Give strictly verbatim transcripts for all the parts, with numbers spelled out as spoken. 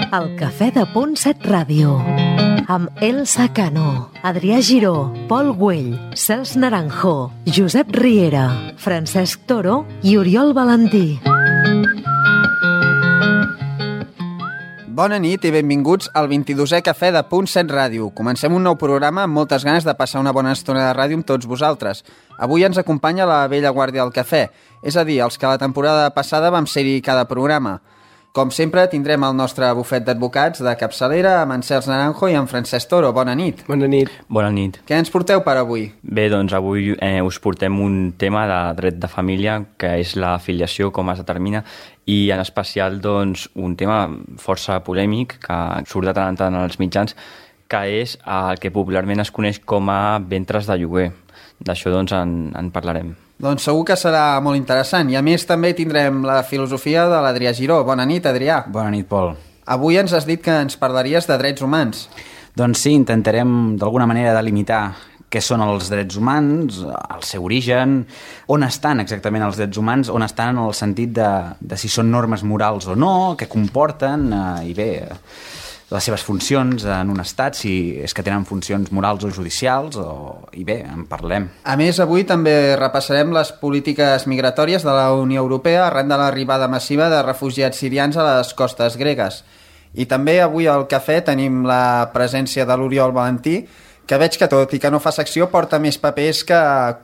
El Cafè de Punt set Ràdio, amb Elsa Cano, Adrià Giró, Pol Güell, Cels Naranjo, Josep Riera, Francesc Toro i Oriol Valentí. Bona nit i benvinguts al vint-i-dosè Cafè de Punt set Ràdio. Comencem un nou programa amb moltes ganes de passar una bona estona de ràdio amb tots vosaltres. Avui ens acompanya la vella guàrdia del cafè, és a dir, els que la temporada passada vam ser-hi cada programa. Com sempre, tindrem el nostre bufet d'advocats de capçalera amb en Cels Naranjo i en Francesc Toro. Bona nit. Bona nit. Bona nit. Què ens porteu per avui? Bé, doncs avui eh, us portem un tema de dret de família, que és la filiació, com es determina, i en especial doncs, un tema força polèmic que surt de tant en tant als mitjans, que és el que popularment es coneix com a ventres de lloguer. D'això doncs en, en parlarem. Doncs segur que serà molt interessant. I a més també tindrem la filosofia de l'Adrià Giró. Bona nit, Adrià. Bona nit, Pol. Avui ens has dit que ens parlaries de drets humans. Doncs sí, intentarem d'alguna manera delimitar què són els drets humans, el seu origen, on estan exactament els drets humans, on estan en el sentit de, de si són normes morals o no, què comporten, eh, i bé, les seves funcions en un estat, si és que tenen funcions morals o judicials, o... i bé, en parlem. A més, avui també repassarem les polítiques migratòries de la Unió Europea arran de l'arribada massiva de refugiats sirians a les costes gregues. I també avui al cafè tenim la presència de l'Oriol Valentí, que veig que tot i que no fa secció porta més papers que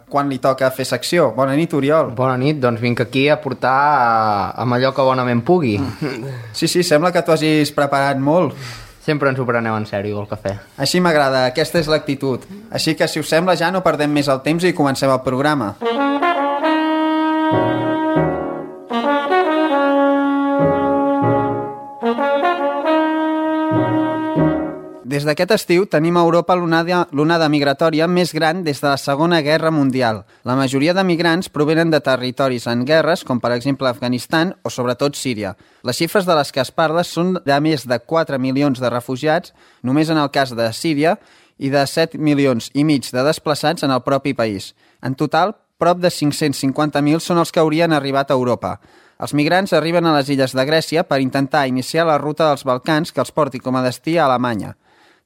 quan li toca fer secció. Bona nit, Oriol. Bona nit, doncs vinc aquí a portar amb allò que bonament pugui. Sí, sí, sembla que t'ho hagis preparat molt. Sempre ens ho preneu en sèrio, el cafè. Així m'agrada, aquesta és l'actitud. Així que, si us sembla, ja no perdem més el temps i comencem el programa. Des d'aquest estiu tenim a Europa l'onada, l'onada migratòria més gran des de la Segona Guerra Mundial. La majoria de migrants provenen de territoris en guerres, com per exemple Afganistan o sobretot Síria. Les xifres de les que es parla són de més de quatre milions de refugiats, només en el cas de Síria, i de set milions i mig de desplaçats en el propi país. En total, prop de cinc-cents cinquanta mil són els que haurien arribat a Europa. Els migrants arriben a les illes de Grècia per intentar iniciar la ruta dels Balcans que els porti com a destí a Alemanya.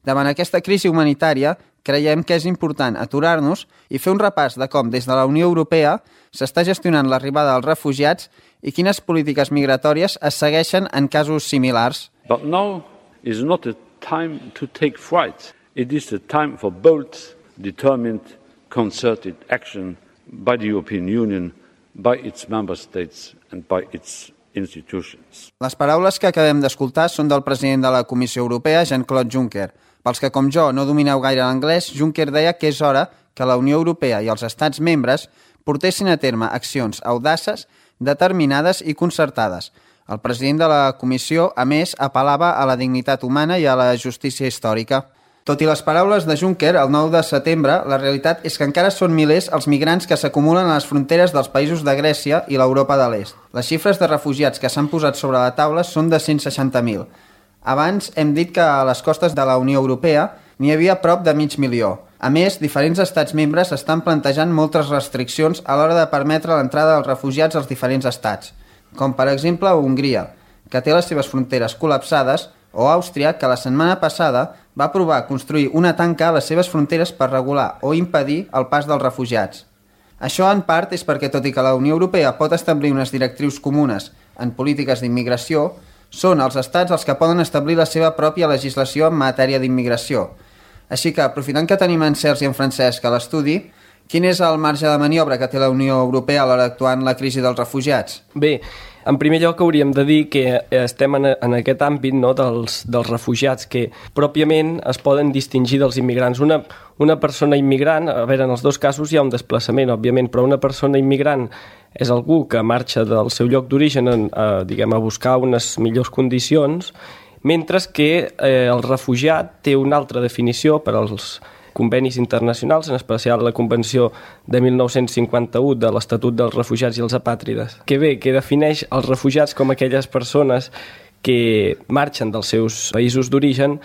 Davant aquesta crisi humanitària, creiem que és important aturar-nos i fer un repàs de com, des de la Unió Europea, s'està gestionant l'arribada dels refugiats i quines polítiques migratòries es segueixen en casos similars. But now is not a time to take fright. It is a time for bold, determined, concerted action by the European Union, by its member states and by its institutions. Les paraules que acabem d'escoltar són del president de la Comissió Europea, Jean-Claude Juncker. Pels que, com jo, no domineu gaire l'anglès, Juncker deia que és hora que la Unió Europea i els estats membres portessin a terme accions audaces, determinades i concertades. El president de la Comissió, a més, apel·lava a la dignitat humana i a la justícia històrica. Tot i les paraules de Juncker, el nou de setembre, la realitat és que encara són milers els migrants que s'acumulen a les fronteres dels països de Grècia i l'Europa de l'Est. Les xifres de refugiats que s'han posat sobre la taula són de cent seixanta mil. Abans hem dit que a les costes de la Unió Europea n'hi havia prop de mig milió. A més, diferents estats membres estan plantejant moltes restriccions a l'hora de permetre l'entrada dels refugiats als diferents estats, com per exemple Hongria, que té les seves fronteres col·lapsades, o Àustria, que la setmana passada va provar construir una tanca a les seves fronteres per regular o impedir el pas dels refugiats. Això en part és perquè, tot i que la Unió Europea pot establir unes directrius comunes en polítiques d'immigració, són els estats els que poden establir la seva pròpia legislació en matèria d'immigració. Així que, aprofitant que tenim en Cels i en Francesc a l'estudi, quin és el marge de maniobra que té la Unió Europea a l'hora d'actuar en la crisi dels refugiats? Bé, en primer lloc hauríem de dir que estem en, en aquest àmbit, no, dels, dels refugiats que pròpiament es poden distingir dels immigrants. Una, una persona immigrant, a veure, en els dos casos hi ha un desplaçament, òbviament, però una persona immigrant és algú que marxa del seu lloc d'origen a, diguem, a buscar unes millors condicions, mentre que eh, el refugiat té una altra definició per als convenis internacionals, en especial la Convenció de mil nou-cents cinquanta-u de l'Estatut dels Refugiats i els Apàtrides, que bé, que defineix els refugiats com aquelles persones que marxen dels seus països d'origen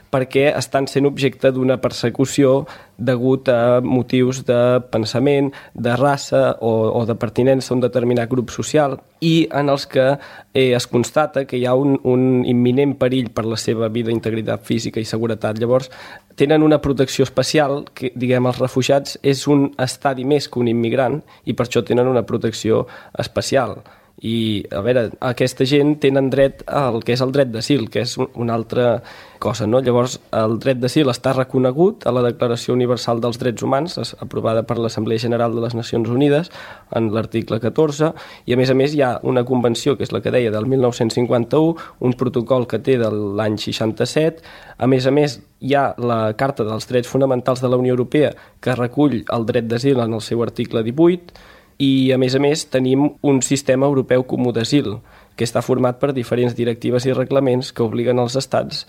perquè estan sent objecte d'una persecució degut a motius de pensament, de raça o, o de pertinença a un determinat grup social, i en els que eh, es constata que hi ha un, un imminent perill per la seva vida, integritat física i seguretat. Llavors, tenen una protecció especial que, diguem, els refugiats és un estadi més que un immigrant i per això tenen una protecció especial. I, a veure, aquesta gent tenen dret al que és el dret d'asil, que és una altra cosa, no? Llavors, el dret d'asil està reconegut a la Declaració Universal dels Drets Humans, aprovada per l'Assemblea General de les Nacions Unides, en l'article catorze, i a més a més hi ha una convenció, que és la que deia del mil nou-cents cinquanta-u, un protocol que té de l'any seixanta-set, a més a més hi ha la Carta dels Drets Fonamentals de la Unió Europea, que recull el dret d'asil en el seu article divuit, i a més a més tenim un sistema europeu comú d'asil que està format per diferents directives i reglaments que obliguen els estats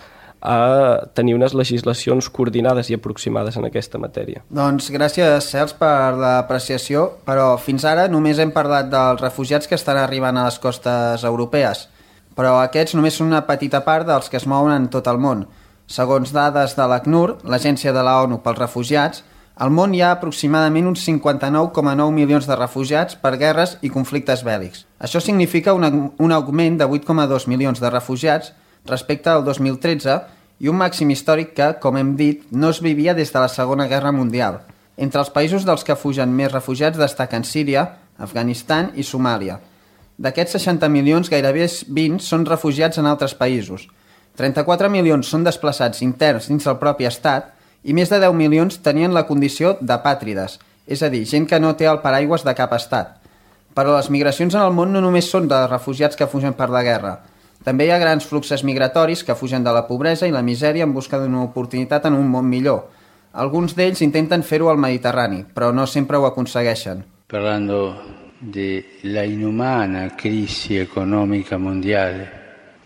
a tenir unes legislacions coordinades i aproximades en aquesta matèria. Doncs gràcies, Cels, per l'apreciació, però fins ara només hem parlat dels refugiats que estan arribant a les costes europees, però aquests només són una petita part dels que es mouen en tot el món. Segons dades de l'ACNUR, l'Agència de la ONU pels Refugiats, al món hi ha aproximadament uns cinquanta-nou coma nou milions de refugiats per guerres i conflictes bèl·lics. Això significa un, un augment de vuit coma dos milions de refugiats respecte al dos mil tretze i un màxim històric que, com hem dit, no es vivia des de la Segona Guerra Mundial. Entre els països dels que fugen més refugiats destaquen Síria, Afganistan i Somàlia. D'aquests seixanta milions, gairebé vint són refugiats en altres països. trenta-quatre milions són desplaçats interns dins del propi estat i més de deu milions tenien la condició d'apàtrides, és a dir, gent que no té el paraigües de cap estat. Però les migracions en el món no només són de refugiats que fugen per la guerra. També hi ha grans fluxos migratoris que fugen de la pobresa i la misèria en busca d'una oportunitat en un món millor. Alguns d'ells intenten fer-ho al Mediterrani, però no sempre ho aconsegueixen. Parlando de la inhumana crisi econòmica mundial,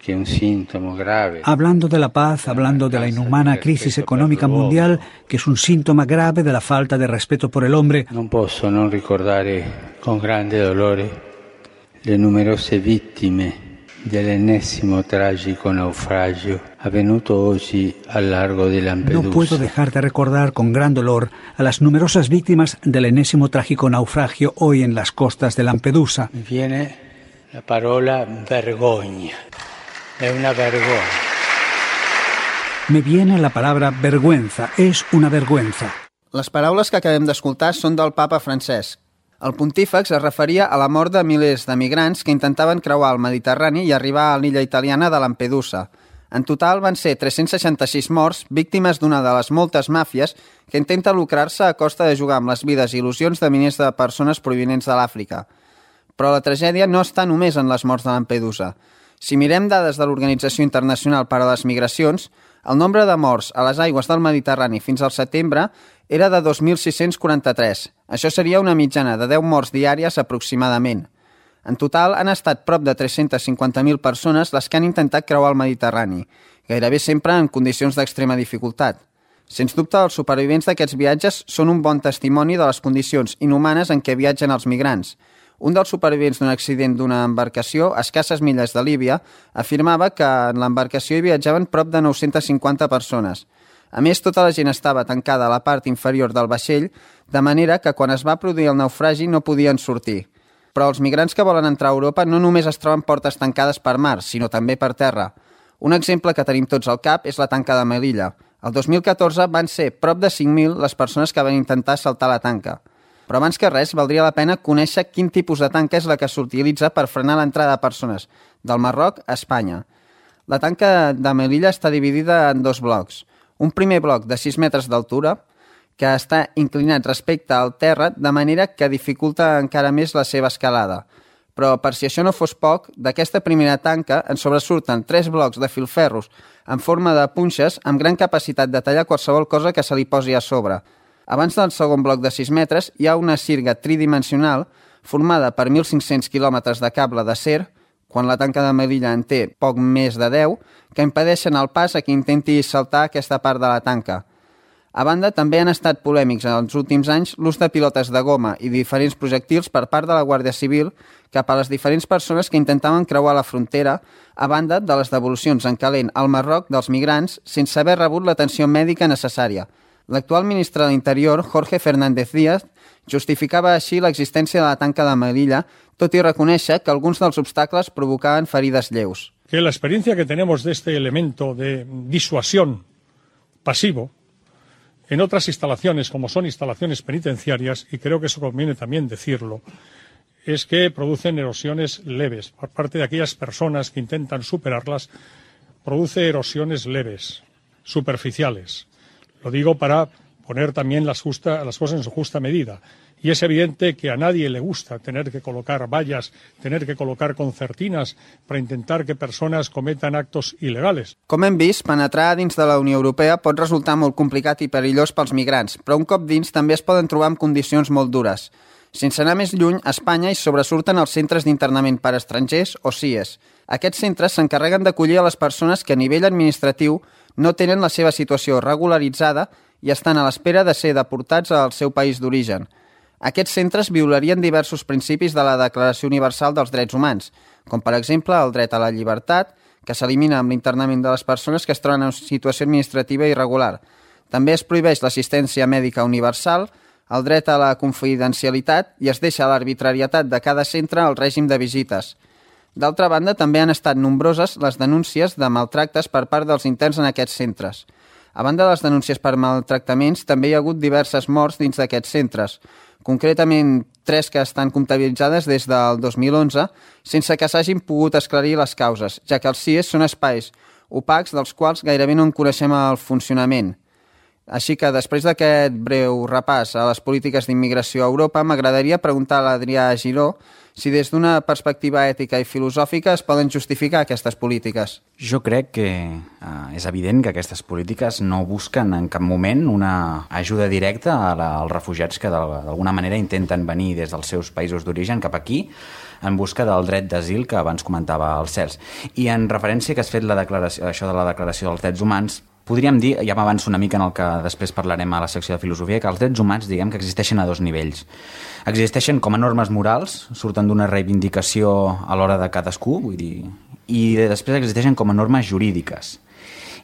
que es un síntoma grave. Hablando de la paz, hablando de la inhumana crisis económica mundial, que es un síntoma grave de la falta de respeto por el hombre. Non posso non ricordare con grande dolore le numerose vittime dell'ennesimo tragico naufragio avvenuto oggi al largo di Lampedusa. No puedo dejar de recordar con gran dolor a las numerosas víctimas del enésimo trágico naufragio hoy en las costas de Lampedusa. Mi viene la parola vergogna. Es una vergüenza. Me viene la palabra vergüenza. Es una vergüenza. Les paraules que acabem d'escoltar són del papa Francesc. El pontífex es referia a la mort de milers de migrants que intentaven creuar el Mediterrani i arribar a l'illa italiana de Lampedusa. En total van ser tres-cents seixanta-sis morts, víctimes d'una de les moltes màfies que intenta lucrar-se a costa de jugar amb les vides i il·lusions de milers de persones provinents de l'Àfrica. Però la tragèdia no està només en les morts de Lampedusa. Si mirem dades de l'Organització Internacional per a les Migracions, el nombre de morts a les aigües del Mediterrani fins al setembre era de dos mil sis-cents quaranta-tres. Això seria una mitjana de deu morts diàries aproximadament. En total han estat prop de tres-centes cinquanta mil persones les que han intentat creuar el Mediterrani, gairebé sempre en condicions d'extrema dificultat. Sens dubte, els supervivents d'aquests viatges són un bon testimoni de les condicions inhumanes en què viatgen els migrants. Un dels supervivents d'un accident d'una embarcació a escasses milles de Líbia afirmava que en l'embarcació hi viatjaven prop de nou-centes cinquanta persones. A més, tota la gent estava tancada a la part inferior del vaixell, de manera que quan es va produir el naufragi no podien sortir. Però els migrants que volen entrar a Europa no només es troben portes tancades per mar, sinó també per terra. Un exemple que tenim tots al cap és la tanca de Melilla. El dos mil catorze van ser prop de cinc mil les persones que van intentar saltar la tanca. Però abans que res, valdria la pena conèixer quin tipus de tanca és la que s'utilitza per frenar l'entrada de persones del Marroc a Espanya. La tanca de Melilla està dividida en dos blocs. Un primer bloc de sis metres d'altura, que està inclinat respecte al terra, de manera que dificulta encara més la seva escalada. Però, per si això no fos poc, d'aquesta primera tanca en sobresurten tres blocs de filferros en forma de punxes amb gran capacitat de tallar qualsevol cosa que se li posi a sobre. Abans del segon bloc de sis metres hi ha una sirga tridimensional formada per mil cinc-cents quilòmetres de cable d'acer, quan la tanca de Melilla en té poc més de deu, que impedeixen el pas a qui intenti saltar aquesta part de la tanca. A banda, també han estat polèmics en els últims anys l'ús de pilotes de goma i diferents projectils per part de la Guàrdia Civil cap a les diferents persones que intentaven creuar la frontera, a banda de les devolucions en calent al Marroc dels migrants sense haver rebut l'atenció mèdica necessària. L'actual ministre de l'Interior, Jorge Fernández Díaz, justificava així l'existència de la tanca de Melilla, tot i reconèixer que alguns dels obstacles provocaven ferides lleus. Que la experiencia que tenemos de este elemento de disuasión pasivo en otras instalaciones, como son instalaciones penitenciarias, y creo que eso conviene también decirlo, es que producen erosiones leves. Por parte de aquellas personas que intentan superarlas, produce erosiones leves, superficiales. Lo digo para poner también las, justa, las cosas en su justa medida. Y es evidente que a nadie le gusta tener que colocar vallas, tener que colocar concertinas para intentar que persones cometan actos il·legals. Com hem vist, penetrar dins de la Unió Europea pot resultar molt complicat i perillós pels migrants, però un cop dins també es poden trobar en condicions molt dures. Sense anar més lluny, a Espanya hi sobresurten els centres d'internament per estrangers o C I E S. Aquests centres s'encarreguen d'acollir a les persones que a nivell administratiu no tenen la seva situació regularitzada i estan a l'espera de ser deportats al seu país d'origen. Aquests centres violarien diversos principis de la Declaració Universal dels Drets Humans, com per exemple el dret a la llibertat, que s'elimina amb l'internament de les persones que es troben en situació administrativa irregular. També es prohibeix l'assistència mèdica universal, el dret a la confidencialitat i es deixa l'arbitrarietat de cada centre al règim de visites. D'altra banda, també han estat nombroses les denúncies de maltractes per part dels interns en aquests centres. A banda de les denúncies per maltractaments, també hi ha hagut diverses morts dins d'aquests centres, concretament tres que estan comptabilitzades des del dos mil onze, sense que s'hagin pogut esclarir les causes, ja que els C I E S són espais opacs dels quals gairebé no en coneixem el funcionament. Així que, després d'aquest breu repàs a les polítiques d'immigració a Europa, m'agradaria preguntar a l'Adrià Giró si des d'una perspectiva ètica i filosòfica es poden justificar aquestes polítiques. Jo crec que eh, és evident que aquestes polítiques no busquen en cap moment una ajuda directa a la, als refugiats que d'alguna manera intenten venir des dels seus països d'origen cap aquí en busca del dret d'asil que abans comentava el Cels. I en referència que has fet la declaració, això de la Declaració dels Drets Humans, podríem dir, ja m'avanço una mica en el que després parlarem a la secció de filosofia, que els drets humans, diguem que existeixen a dos nivells. Existeixen com a normes morals, surten d'una reivindicació a l'hora de cadascú, vull dir, i després existeixen com a normes jurídiques.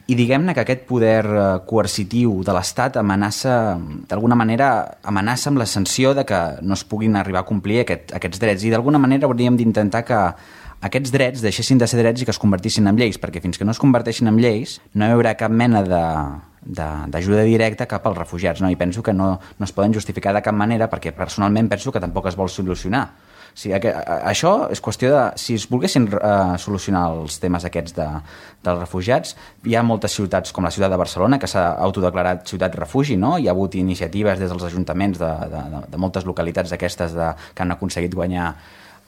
I diguem-ne que aquest poder coercitiu de l'Estat amenaça, d'alguna manera, amenaça amb la sanció de que no es puguin arribar a complir aquest, aquests drets. I d'alguna manera hauríem d'intentar que aquests drets deixessin de ser drets i que es convertissin en lleis, perquè fins que no es converteixin en lleis no hi haurà cap mena de, de, d'ajuda directa cap als refugiats, no? I penso que no, no es poden justificar de cap manera, perquè personalment penso que tampoc es vol solucionar. O sigui, que, això és qüestió de... Si es volguessin uh, solucionar els temes aquests de, dels refugiats, hi ha moltes ciutats, com la ciutat de Barcelona, que s'ha autodeclarat ciutat refugi, no? Hi ha hagut iniciatives des dels ajuntaments de, de, de, de moltes localitats d'aquestes de, que han aconseguit guanyar.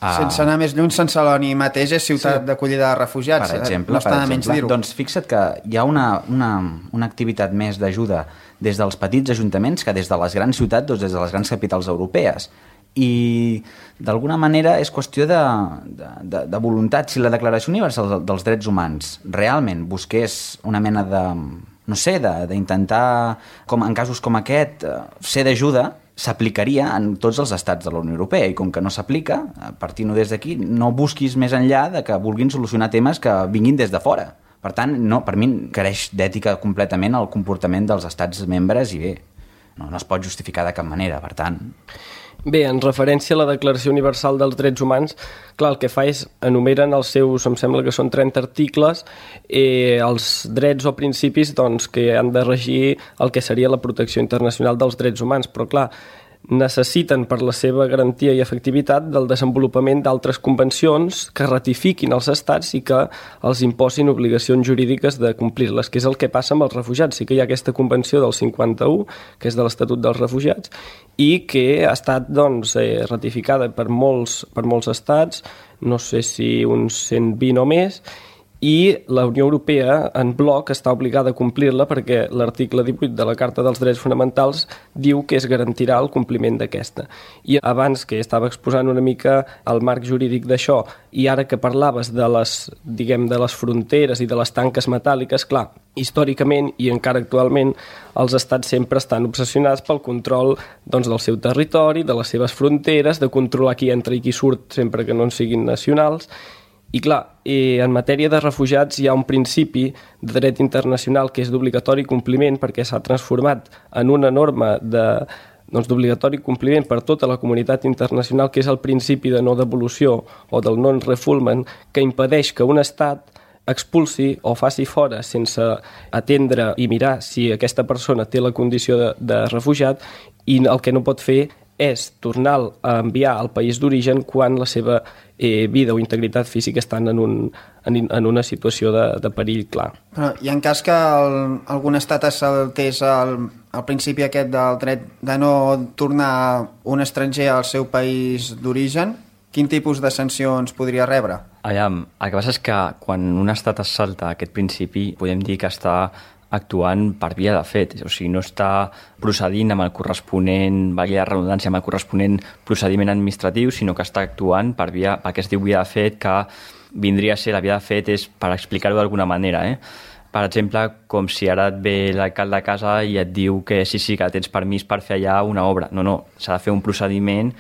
Sense anar més lluny, Sant Celoni mateix és ciutat sí. d'acollida de refugiats. Per exemple, no està per menys dir-ho. Doncs fixa't que hi ha una, una, una activitat més d'ajuda des dels petits ajuntaments que des de les grans ciutats o des de les grans capitals europees. I d'alguna manera és qüestió de, de, de, de voluntat. Si la Declaració Universal dels Drets Humans realment busqués una mena de, no sé, d'intentar, com en casos com aquest, ser d'ajuda, s'aplicaria en tots els estats de la Unió Europea, i com que no s'aplica, partint-ho des d'aquí, no busquis més enllà de que vulguin solucionar temes que vinguin des de fora. Per tant, no, per mi careix d'ètica completament el comportament dels estats membres i bé, no, no es pot justificar de cap manera, per tant... Bé, en referència a la Declaració Universal dels Drets Humans, clar, el que fa és enumeren els seus, em sembla que són trenta articles, eh, els drets o principis doncs, que han de regir el que seria la protecció internacional dels drets humans, però clar, necessiten per la seva garantia i efectivitat del desenvolupament d'altres convencions que ratifiquin els estats i que els imposin obligacions jurídiques de complir-les, que és el que passa amb els refugiats. Sí que hi ha aquesta convenció del cinquanta-u, que és de l'Estatut dels Refugiats, i que ha estat doncs, eh, ratificada per molts, per molts estats, no sé si uns cent vint o més, i la Unió Europea en bloc està obligada a complir-la perquè l'article divuit de la Carta dels Drets Fonamentals diu que es garantirà el compliment d'aquesta. I abans que estava exposant una mica el marc jurídic d'això i ara que parlaves de les, diguem, de les fronteres i de les tanques metàl·liques, clar, històricament i encara actualment els estats sempre estan obsessionats pel control doncs, del seu territori, de les seves fronteres, de controlar qui entra i qui surt sempre que no en siguin nacionals. I clar, en matèria de refugiats hi ha un principi de dret internacional que és d'obligatori compliment perquè s'ha transformat en una norma de, doncs, d'obligatori compliment per tota la comunitat internacional, que és el principi de no devolució o del non-refoulement, que impedeix que un estat expulsi o faci fora sense atendre i mirar si aquesta persona té la condició de, de refugiat, i el que no pot fer és tornar a enviar al país d'origen quan la seva eh, vida o integritat física estan en, un, en, en una situació de, de perill clar. Però, I en cas que el, algun estat es saltés el, el principi aquest del dret de no tornar un estranger al seu país d'origen, quin tipus de sancions podria rebre? Aviam, el que passa és que quan un estat es salta aquest principi podem dir que està actuant per via de fet, o sigui, no està procedint amb el corresponent, valia la redundància, amb el corresponent procediment administratiu, sinó que està actuant per via, perquè es diu via de fet, que vindria a ser la via de fet és per explicar-ho d'alguna manera, eh? Per exemple, com si ara et ve l'alcalde a casa i et diu que sí, sí, que tens permís per fer allà una obra. No, no, s'ha de fer un procediment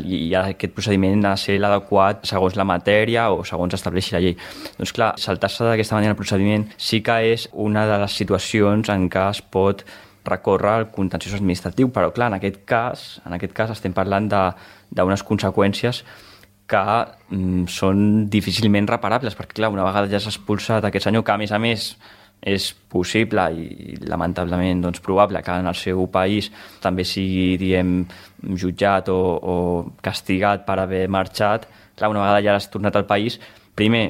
i aquest procediment ha de ser l'adequat segons la matèria o segons estableixi la llei. Doncs clar, saltar-se d'aquesta manera el procediment sí que és una de les situacions en què es pot recórrer al contenciós administratiu, però clar, en aquest cas, en aquest cas estem parlant d'unes conseqüències que mm, són difícilment reparables, perquè clar, una vegada ja s'ha expulsat aquest senyor, que a més a més és possible i lamentablement doncs, probable que en el seu país també sigui, diem, jutjat o, o castigat per haver marxat. Clar, una vegada ja has tornat al país, primer,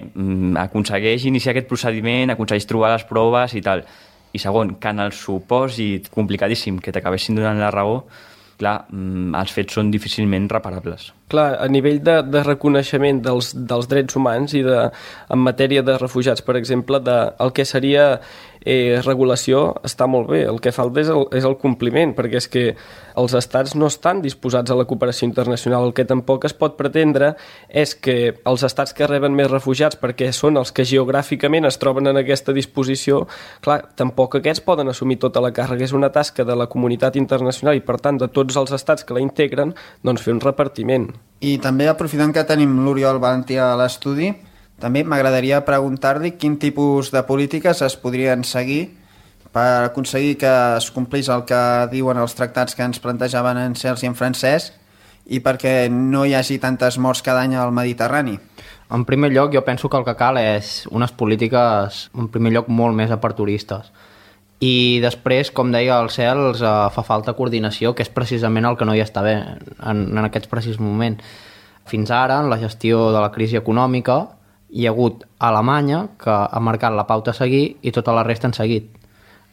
aconsegueix iniciar aquest procediment, aconsegueix trobar les proves i tal. I segon, que en el supòsit complicadíssim que t'acabessin donant la raó, clar, els fets són difícilment reparables. Clar, a nivell de, de reconeixement dels, dels drets humans i de, en matèria de refugiats, per exemple, de, el que seria eh, regulació està molt bé. El que falta és el, és el compliment, perquè és que els estats no estan disposats a la cooperació internacional. El que tampoc es pot pretendre és que els estats que reben més refugiats, perquè són els que geogràficament es troben en aquesta disposició, clar, tampoc aquests poden assumir tota la càrrega. És una tasca de la comunitat internacional i, per tant, de tots els estats que la integren, doncs fer un repartiment. I també, aprofitant que tenim l'Oriol Valentí a l'estudi, també m'agradaria preguntar-li quin tipus de polítiques es podrien seguir per aconseguir que es complís el que diuen els tractats que ens plantejaven en Sergi i en Francesc i perquè no hi hagi tantes morts cada any al Mediterrani. En primer lloc, jo penso que el que cal és unes polítiques, en primer lloc, molt més aperturistes. I després, com deia el Cels, eh, fa falta coordinació, que és precisament el que no hi està bé en, en aquest precís moment. Fins ara, en la gestió de la crisi econòmica, hi ha hagut Alemanya, que ha marcat la pauta a seguir, i tota la resta han seguit.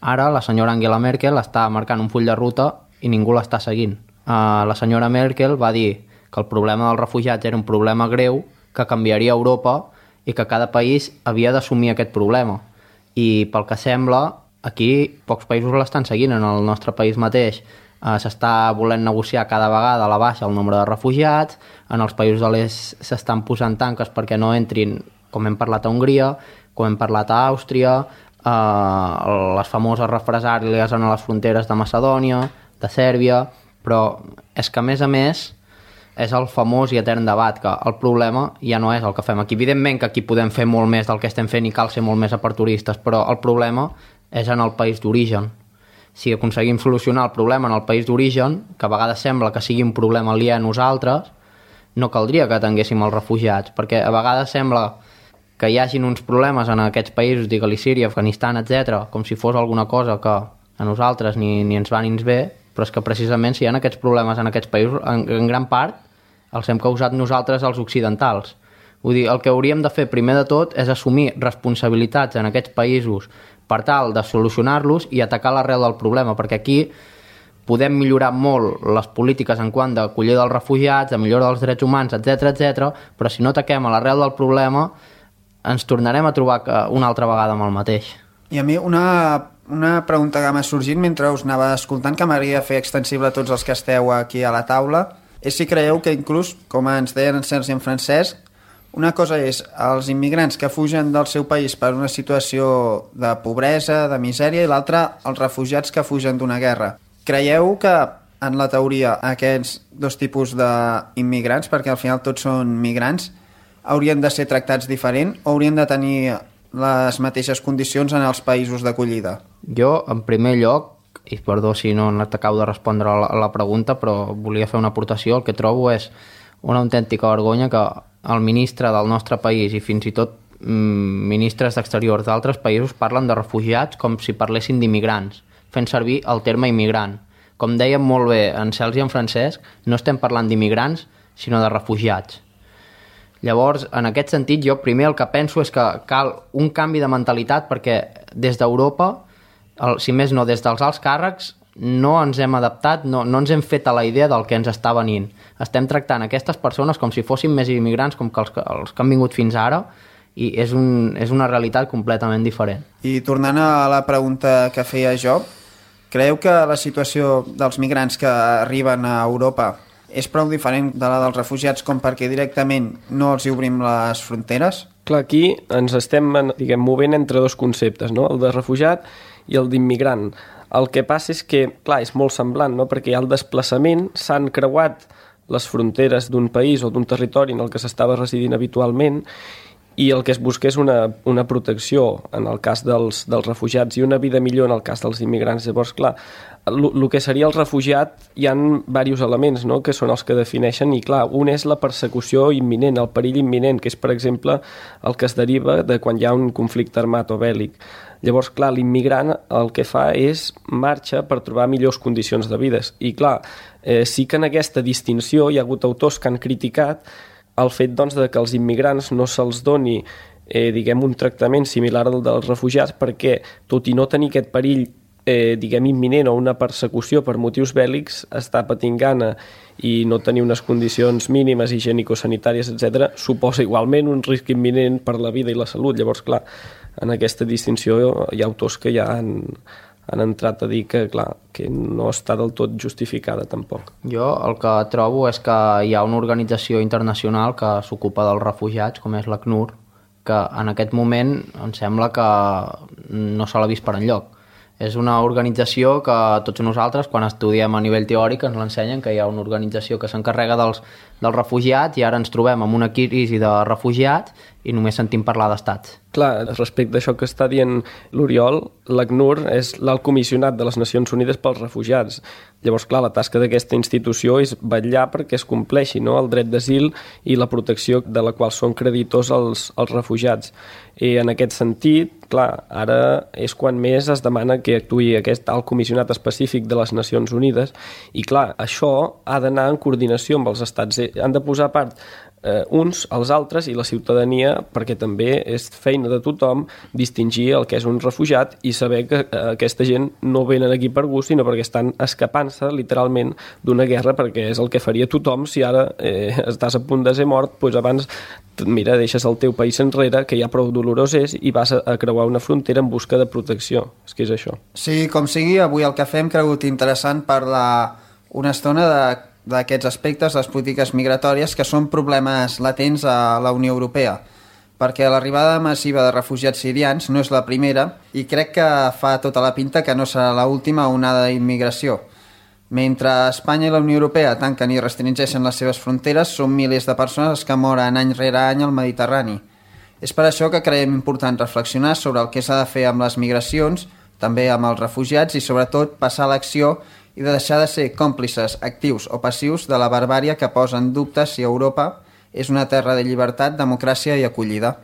Ara, la senyora Angela Merkel està marcant un full de ruta i ningú l'està seguint. Eh, la senyora Merkel va dir que el problema dels refugiats era un problema greu, que canviaria Europa i que cada país havia d'assumir aquest problema. I pel que sembla, aquí pocs països l'estan seguint. En el nostre país mateix eh, s'està volent negociar cada vegada a la baixa el nombre de refugiats, en els països de l'est s'estan posant tanques perquè no entrin, com hem parlat a Hongria, com hem parlat a Àustria, eh, les famoses represàlies en les fronteres de Macedònia, de Sèrbia, però és que a més a més és el famós i etern debat, que el problema ja no és el que fem aquí. Evidentment que aquí podem fer molt més del que estem fent i cal ser molt més aperturistes, però el problema és en el país d'origen. Si aconseguim solucionar el problema en el país d'origen, que a vegades sembla que sigui un problema aliè a nosaltres, no caldria que tinguéssim els refugiats, perquè a vegades sembla que hi hagin uns problemes en aquests països, digue-li Síria, Afganistan, etcètera, com si fos alguna cosa que a nosaltres ni, ni ens va ni ens ve, però és que precisament si hi ha aquests problemes en aquests països, en, en gran part els hem causat nosaltres els occidentals. Vull dir, el que hauríem de fer primer de tot és assumir responsabilitats en aquests països per tal de solucionar-los i atacar l'arrel del problema, perquè aquí podem millorar molt les polítiques en quant d'acollida dels refugiats, de millora dels drets humans, etcètera, etcètera, però si no ataquem a l'arrel del problema, ens tornarem a trobar una altra vegada amb el mateix. I a mi una, una pregunta que m'ha sorgit mentre us anava escoltant, que m'agradaria fer extensible a tots els que esteu aquí a la taula, és si creieu que inclús, com ens deien en Sergi i en Francesc, una cosa és els immigrants que fugen del seu país per una situació de pobresa, de misèria, i l'altra els refugiats que fugen d'una guerra. Creieu que en la teoria aquests dos tipus d'immigrants, perquè al final tots són migrants, haurien de ser tractats diferent o haurien de tenir les mateixes condicions en els països d'acollida? Jo, en primer lloc, i perdó si no t'acabo de respondre a la, a la pregunta, però volia fer una aportació, el que trobo és una autèntica vergonya que el ministre del nostre país i fins i tot mm, ministres d'exteriors d'altres països parlen de refugiats com si parlessin d'immigrants, fent servir el terme immigrant. Com dèiem molt bé en Sergi i en Francesc, no estem parlant d'immigrants, sinó de refugiats. Llavors, en aquest sentit, jo primer el que penso és que cal un canvi de mentalitat perquè des d'Europa, el, si més no, des dels alts càrrecs, no ens hem adaptat, no, no ens hem fet a la idea del que ens està venint. Estem tractant aquestes persones com si fossin més immigrants com que els, els que han vingut fins ara, i és, un, és una realitat completament diferent. I tornant a la pregunta que feia jo, creieu que la situació dels migrants que arriben a Europa és prou diferent de la dels refugiats com perquè directament no els hi obrim les fronteres? Clar, aquí ens estem, diguem, movent entre dos conceptes, no? El de refugiat i el d'immigrant. El que passa és que, clar, és molt semblant, no? Perquè hi ha el desplaçament, s'han creuat les fronteres d'un país o d'un territori en el que s'estava residint habitualment, i el que es busca és una, una protecció en el cas dels, dels refugiats i una vida millor en el cas dels immigrants. Llavors, clar, el que seria el refugiat hi ha diversos elements, no?, que són els que defineixen, i clar, un és la persecució imminent, el perill imminent, que és, per exemple, el que es deriva de quan hi ha un conflicte armat o bèl·lic. Llavors, clar, l'immigrant el que fa és marxa per trobar millors condicions de vida. I clar, eh, sí que en aquesta distinció hi ha hagut autors que han criticat el fet, doncs, de que als immigrants no se'ls doni eh, diguem, un tractament similar al dels refugiats perquè, tot i no tenir aquest perill eh, diguem, imminent o una persecució per motius bèl·lics, està patint gana i no tenir unes condicions mínimes higienico-sanitàries, etcètera, suposa igualment un risc imminent per la vida i la salut. Llavors, clar, en aquesta distinció hi ha autors que ja han, han entrat a dir que, clar, que no està del tot justificada tampoc. Jo el que trobo és que hi ha una organització internacional que s'ocupa dels refugiats, com és l'ACNUR, que en aquest moment em sembla que no se l'ha vist per enlloc. És una organització que tots nosaltres, quan estudiem a nivell teòric, ens l'ensenyen, que hi ha una organització que s'encarrega dels, dels refugiats, i ara ens trobem amb una crisi de refugiats i només sentim parlar d'estats. Clar, respecte a això que està dient l'Oriol, l'ACNUR és l'alt comissionat de les Nacions Unides pels refugiats. Llavors, clar, la tasca d'aquesta institució és vetllar perquè es compleixi, no?, el dret d'asil i la protecció de la qual són creditors els, els refugiats. I en aquest sentit, clar, ara és quan més es demana que actuï aquest alt comissionat específic de les Nacions Unides, i clar, això ha d'anar en coordinació amb els estats. Han de posar a part eh, uns als altres i la ciutadania, perquè també és feina de tothom distingir el que és un refugiat i saber que eh, aquesta gent no venen aquí per gust, sinó perquè estan escapant-se literalment d'una guerra, perquè és el que faria tothom si ara eh, estàs a punt de ser mort, doncs abans mira, deixes el teu país enrere, que ja prou dolorós és, i vas a, a creuar una frontera en busca de protecció. És que és això. Sí, com sigui, avui el que fem cregut interessant parlar una estona de d'aquests aspectes, les polítiques migratòries, que són problemes latents a la Unió Europea, perquè l'arribada massiva de refugiats sirians no és la primera i crec que fa tota la pinta que no serà l'última onada d'immigració. Mentre Espanya i la Unió Europea tanquen i restringeixen les seves fronteres, són milers de persones que moren any rere any al Mediterrani. És per això que creiem important reflexionar sobre el que s'ha de fer amb les migracions, també amb els refugiats, i sobretot passar a l'acció i de deixar de ser còmplices actius o passius de la barbària que posa en dubte si Europa és una terra de llibertat, democràcia i acollida.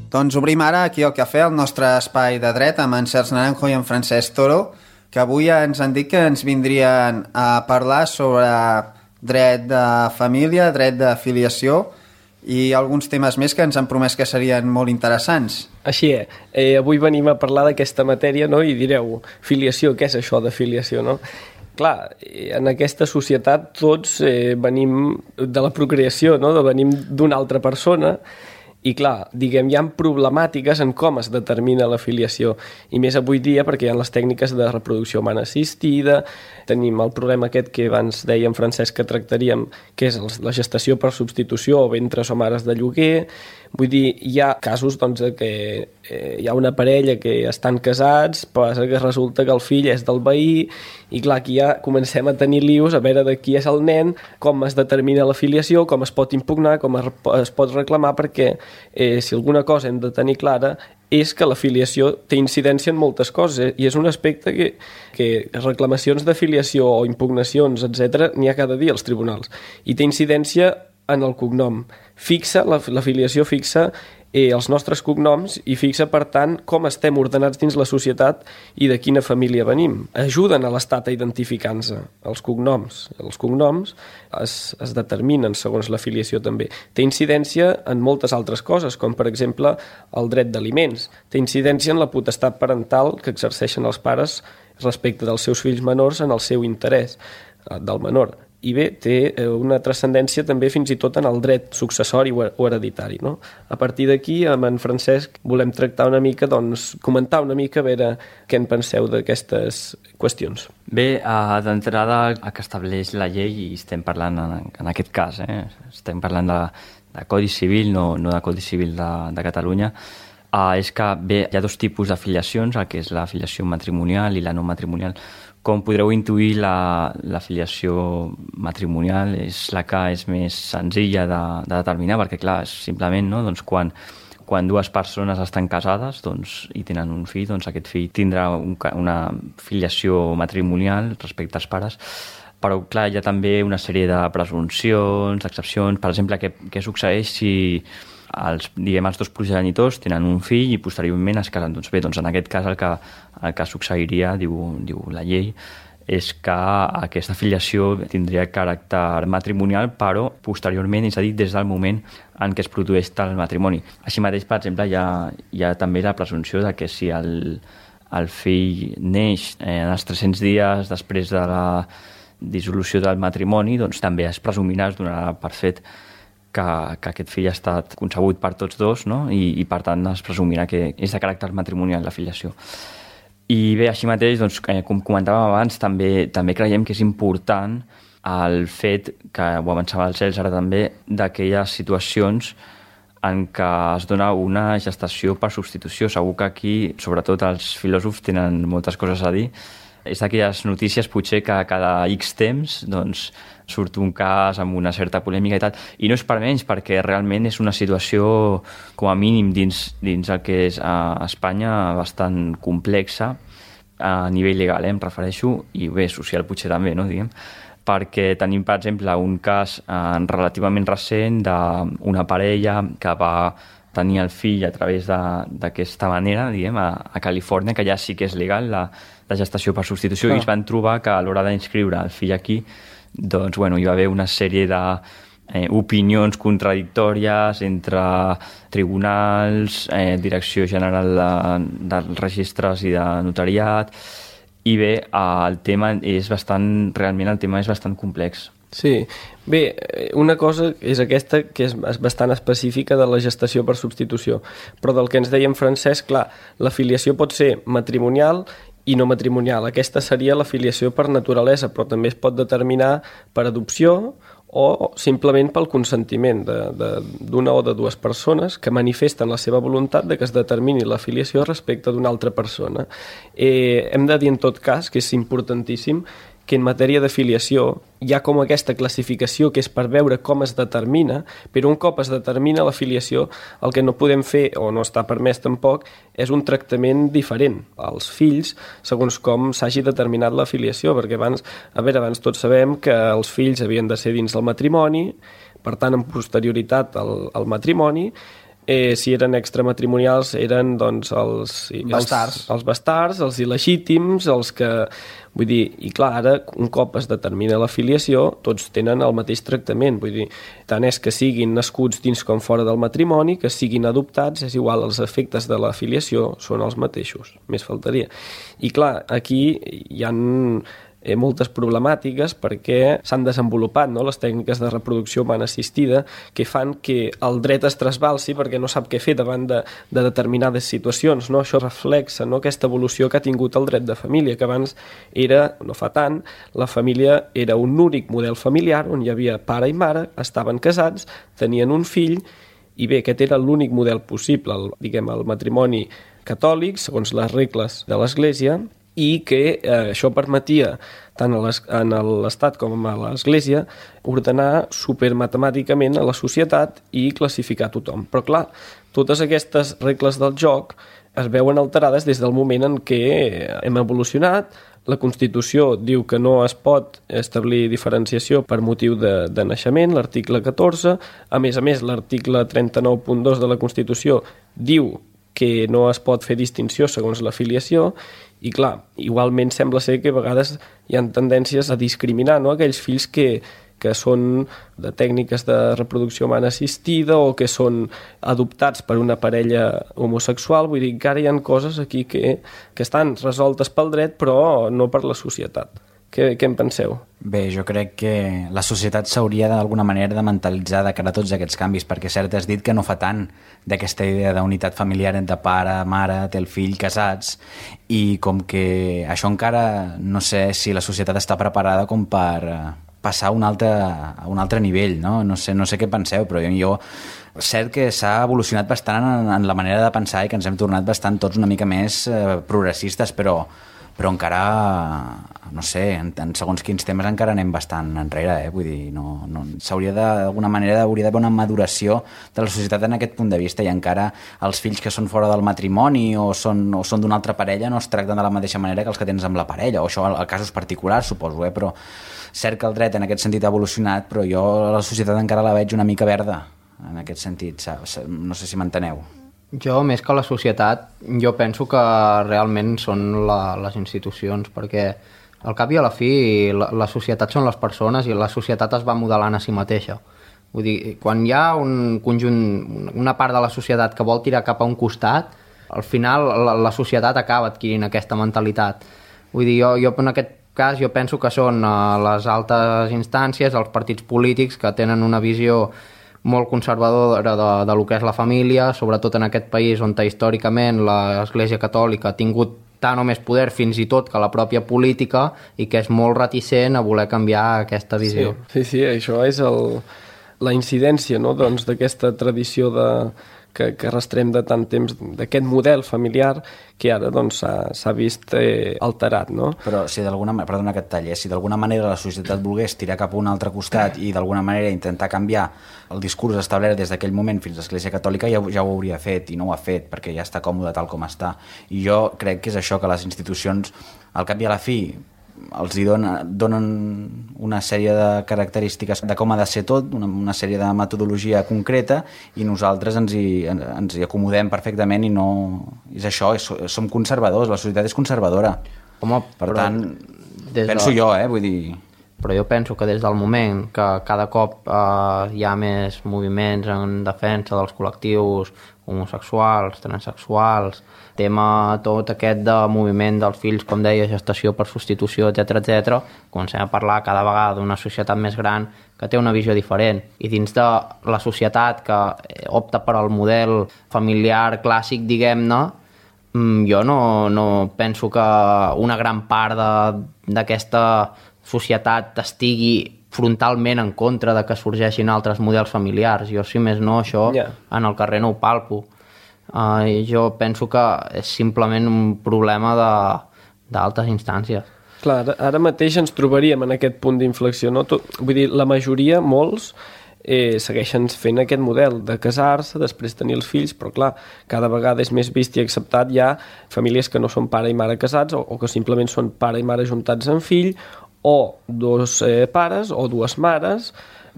Doncs obrim ara aquí el cafè, el nostre espai de dret, amb en Sergi Naranjo i en Francesc Toro, que avui ens han dit que ens vindrien a parlar sobre dret de família, dret de filiació, i alguns temes més que ens han promès que serien molt interessants. Així és. Eh, avui venim a parlar d'aquesta matèria, no? I direu, filiació, què és això de filiació, no? Clar, en aquesta societat tots eh, venim de la procreació, no? Venim d'una altra persona i clar, diguem, hi ha problemàtiques en com es determina la filiació i més avui dia perquè hi ha les tècniques de reproducció humana assistida, tenim el problema aquest que abans dèiem, Francesc, que tractaríem, que és la gestació per substitució o ventres o mares de lloguer. Vull dir, hi ha casos doncs, que eh, hi ha una parella que estan casats, però que resulta que el fill és del veí i clar, aquí ja comencem a tenir lius a veure de qui és el nen, com es determina la filiació, com es pot impugnar, com es pot reclamar, perquè eh, si alguna cosa hem de tenir clara és que la filiació té incidència en moltes coses, eh? I és un aspecte que, que reclamacions de filiació o impugnacions, etcètera, n'hi ha cada dia als tribunals. I té incidència en el cognom. Fixa, la, la filiació fixa eh, els nostres cognoms i fixa, per tant, com estem ordenats dins la societat i de quina família venim. Ajuden a l'Estat a identificar-nos els cognoms. Els cognoms es, es determinen segons la filiació també. Té incidència en moltes altres coses, com per exemple el dret d'aliments. Té incidència en la potestat parental que exerceixen els pares respecte dels seus fills menors en el seu interès del menor. I bé, té una transcendència també fins i tot en el dret successori o hereditari, no? A partir d'aquí, amb en Francesc, volem tractar una mica, doncs, comentar una mica a veure què en penseu d'aquestes qüestions. Bé, d'entrada, el que estableix la llei, i estem parlant en, en aquest cas, eh? estem parlant de, de Codi Civil, no, no de Codi Civil de, de Catalunya, eh, és que bé, hi ha dos tipus d'afiliacions, el que és la filiació matrimonial i la no matrimonial. Com podreu intuir, la, la filiació matrimonial és la que és més senzilla de, de determinar, perquè clar, és simplement no? doncs quan, quan dues persones estan casades doncs, i tenen un fill, doncs aquest fill tindrà un, una filiació matrimonial respecte als pares, però clar, hi ha també una sèrie de presumpcions, d'excepcions. Per exemple, què, què succeeix si els, diguem, els dos progenitors tenen un fill i posteriorment es casen? Doncs bé, doncs en aquest cas el que, el que succeiria, diu, diu la llei, és que aquesta filiació tindria caràcter matrimonial, però posteriorment, és a dir, des del moment en què es produeix el matrimoni. Així mateix, per exemple, hi ha, hi ha també la presumpció de que si el, el fill neix en els tres-cents dies després de la dissolució del matrimoni, doncs també es presumirà, es donarà per fet que, que aquest fill ha estat concebut per tots dos, no? I, i per tant es presumirà que és de caràcter matrimonial la filiació. I bé, així mateix, doncs, com comentàvem abans, també, també creiem que és important el fet, que ho avançava el Cels ara també, d'aquelles situacions en què es dona una gestació per substitució. Segur que aquí, sobretot els filòsofs, tenen moltes coses a dir. És d'aquelles notícies potser que cada X temps doncs, surt un cas amb una certa polèmica i tal, i no és per menys, perquè realment és una situació com a mínim dins, dins el que és a Espanya bastant complexa a nivell legal, eh, em refereixo, i bé, social potser també, no, diguem, perquè tenim, per exemple, un cas eh, relativament recent d'una parella que va tenir el fill a través d'aquesta manera, diguem, a, a Califòrnia, que ja sí que és legal la, la gestació per substitució, ah. i es van trobar que a l'hora d'inscriure el fill aquí, doncs, bueno, hi va haver una sèrie de eh, opinions contradictòries entre tribunals, eh, Direcció General de, dels Registres i de Notariat, i bé, el tema és bastant, realment el tema és bastant complex. Sí, bé, una cosa és aquesta que és bastant específica de la gestació per substitució, però del que ens deia en Francesc, clar, la filiació pot ser matrimonial i no matrimonial. Aquesta seria la filiació per naturalesa, però també es pot determinar per adopció o simplement pel consentiment d'una o de dues persones que manifesten la seva voluntat de que es determini la filiació respecte d'una altra persona. Eh, hem de dir en tot cas que és importantíssim que en matèria de filiació hi ha com aquesta classificació que és per veure com es determina, però un cop es determina la filiació, el que no podem fer, o no està permès tampoc, és un tractament diferent als fills segons com s'hagi determinat la filiació, perquè abans, a veure, abans tots sabem que els fills havien de ser dins del matrimoni, per tant, en posterioritat al, al matrimoni, eh, si eren extramatrimonials eren doncs els... Bastards. Els, els bastards, els il·legítims, els que... Vull dir, i clar, ara, un cop es determina la filiació, tots tenen el mateix tractament. Vull dir, tant és que siguin nascuts dins com fora del matrimoni, que siguin adoptats, és igual, els efectes de la filiació són els mateixos, més faltaria. I clar, aquí hi ha eh, moltes problemàtiques perquè s'han desenvolupat, no?, les tècniques de reproducció humana assistida que fan que el dret es trasbalsi perquè no sap què fer davant de, de determinades situacions, no? Això reflexa, no?, aquesta evolució que ha tingut el dret de família, que abans era, no fa tant, la família era un únic model familiar on hi havia pare i mare, estaven casats, tenien un fill, i bé, aquest era l'únic model possible, el, diguem, el matrimoni catòlic, segons les regles de l'Església, i que eh, això permetia tant a l'Estat com a l'Església ordenar supermatemàticament a la societat i classificar tothom. Però clar, totes aquestes regles del joc es veuen alterades des del moment en què hem evolucionat. La Constitució diu que no es pot establir diferenciació per motiu de, de naixement, l'article catorze. A més a més, l'article trenta-nou punt dos de la Constitució diu que no es pot fer distinció segons la filiació. I clar, igualment sembla ser que a vegades hi ha tendències a discriminar, no?, aquells fills que, que són de tècniques de reproducció humana assistida o que són adoptats per una parella homosexual. Vull dir, encara hi ha coses aquí que, que estan resoltes pel dret però no per la societat. Què, què en penseu? Bé, jo crec que la societat s'hauria d'alguna manera de mentalitzar de cara a tots aquests canvis, perquè cert has dit que no fa tant d'aquesta idea d'unitat familiar entre pare, mare, té el fill, casats, i com que això encara no sé si la societat està preparada com per passar a un altre, a un altre nivell, no? No sé, no sé què penseu, però jo, jo cert que s'ha evolucionat bastant en, en la manera de pensar i que ens hem tornat bastant tots una mica més eh, progressistes, però però encara, no sé, en, en segons quins temes encara anem bastant enrere, eh? Vull dir, no, no, s'hauria d'alguna manera hauria d'haver una maduració de la societat en aquest punt de vista, i encara els fills que són fora del matrimoni o són, o són d'una altra parella no es tracten de la mateixa manera que els que tens amb la parella, o això a casos particulars, suposo, eh? Però cert que el dret en aquest sentit ha evolucionat, però jo la societat encara la veig una mica verda, en aquest sentit, no sé si m'enteneu. Jo, més que la societat, jo penso que realment són la, les institucions, perquè al cap i a la fi la, la societat són les persones i la societat es va modelant a si mateixa. Vull dir, quan hi ha un conjunt, una part de la societat que vol tirar cap a un costat, al final la, la societat acaba adquirint aquesta mentalitat. Vull dir, jo, jo en aquest cas jo penso que són les altes instàncies, els partits polítics que tenen una visió molt conservadora de, de lo que és la família, sobretot en aquest país on històricament l'Església Catòlica ha tingut tant o més poder fins i tot que la pròpia política, i que és molt reticent a voler canviar aquesta visió. Sí, sí, sí, això és el, la incidència, no?, doncs, d'aquesta tradició de, que, que arrastrem de tant temps, d'aquest model familiar que ara doncs, s'ha vist eh, alterat, no? Però si d'alguna manera, perdona que et talli, si d'alguna manera la societat volgués tirar cap a un altre costat i d'alguna manera intentar canviar el discurs establert des d'aquell moment fins a l'Església Catòlica, ja, ja ho hauria fet, i no ho ha fet, perquè ja està còmode tal com està. I jo crec que és això, que les institucions, al cap i a la fi, els hi donen, donen una sèrie de característiques de com ha de ser tot, una, una sèrie de metodologia concreta, i nosaltres ens hi, ens hi acomodem perfectament, i no... És això, és, som conservadors, la societat és conservadora. Home, per però tant, penso de... jo, eh, vull dir... Però jo penso que des del moment que cada cop eh, hi ha més moviments en defensa dels col·lectius homosexuals, transsexuals, tema tot aquest de moviment dels fills, com deia, gestació per substitució, etcètera, etcètera, comencem a parlar cada vegada d'una societat més gran que té una visió diferent. I dins de la societat que opta per al model familiar clàssic, diguem-ne, jo no, no penso que una gran part d'aquesta societat estigui frontalment en contra de que sorgeixin altres models familiars. Jo, si més no, això yeah. en el carrer no ho palpo. Uh, jo penso que és simplement un problema d'altes instàncies. Clar, ara, ara mateix ens trobaríem en aquest punt d'inflexió, no? Tot, vull dir, la majoria, molts, eh, segueixen fent aquest model de casar-se, després tenir els fills, però clar, cada vegada és més vist i acceptat ja famílies que no són pare i mare casats, o, o que simplement són pare i mare juntats en fill, o dos eh, pares o dues mares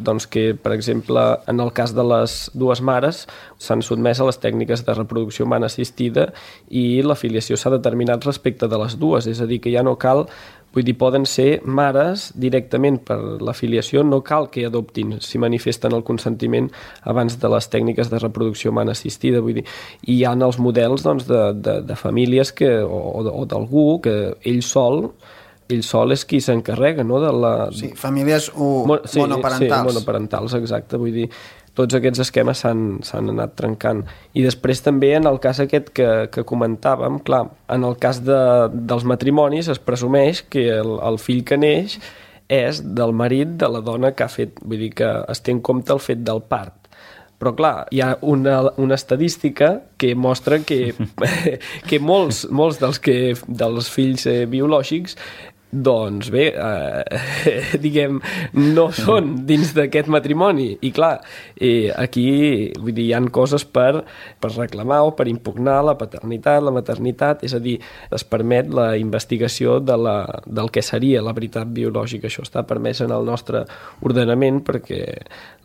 doncs que, per exemple, en el cas de les dues mares s'han sotmès a les tècniques de reproducció humana assistida i la filiació s'ha determinat respecte de les dues, és a dir, que ja no cal, vull dir, poden ser mares directament per la filiació, no cal que adoptin si manifesten el consentiment abans de les tècniques de reproducció humana assistida, vull dir, i hi ha els models doncs, de, de, de famílies que, o, o d'algú que ell sol ell sol és qui s'encarrega, no? De la... Sí, famílies o Mo sí, monoparentals. Sí, monoparentals, exacte, vull dir, tots aquests esquemes s'han anat trencant. I després també en el cas aquest que, que comentàvem, clar, en el cas de, dels matrimonis es presumeix que el, el fill que neix és del marit de la dona que ha fet, vull dir que es té en compte el fet del part. Però clar, hi ha una, una estadística que mostra que, que molts, molts dels, que, dels fills eh, biològics doncs bé, eh, diguem, no són dins d'aquest matrimoni. I clar, eh, aquí vull dir, hi ha coses per, per reclamar o per impugnar la paternitat, la maternitat, és a dir, es permet la investigació de la, del que seria la veritat biològica. Això està permès en el nostre ordenament perquè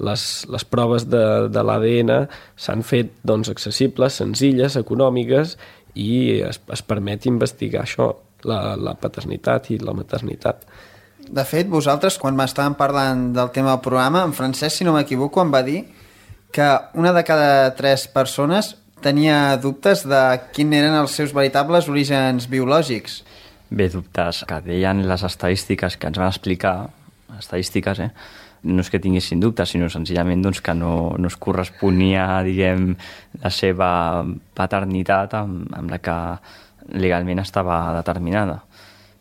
les, les proves de, de l'A D N s'han fet doncs, accessibles, senzilles, econòmiques i es, es permet investigar això. La, la paternitat i la maternitat. De fet, vosaltres, quan m'estàvem parlant del tema del programa, en Francesc, si no m'equivoco, em va dir que una de cada tres persones tenia dubtes de quins eren els seus veritables orígens biològics. Bé, dubtes que deien les estadístiques que ens van explicar, estadístiques, eh? No és que tinguessin dubtes, sinó senzillament doncs, que no, no es corresponia, diguem, la seva paternitat amb, amb la que legalment estava determinada.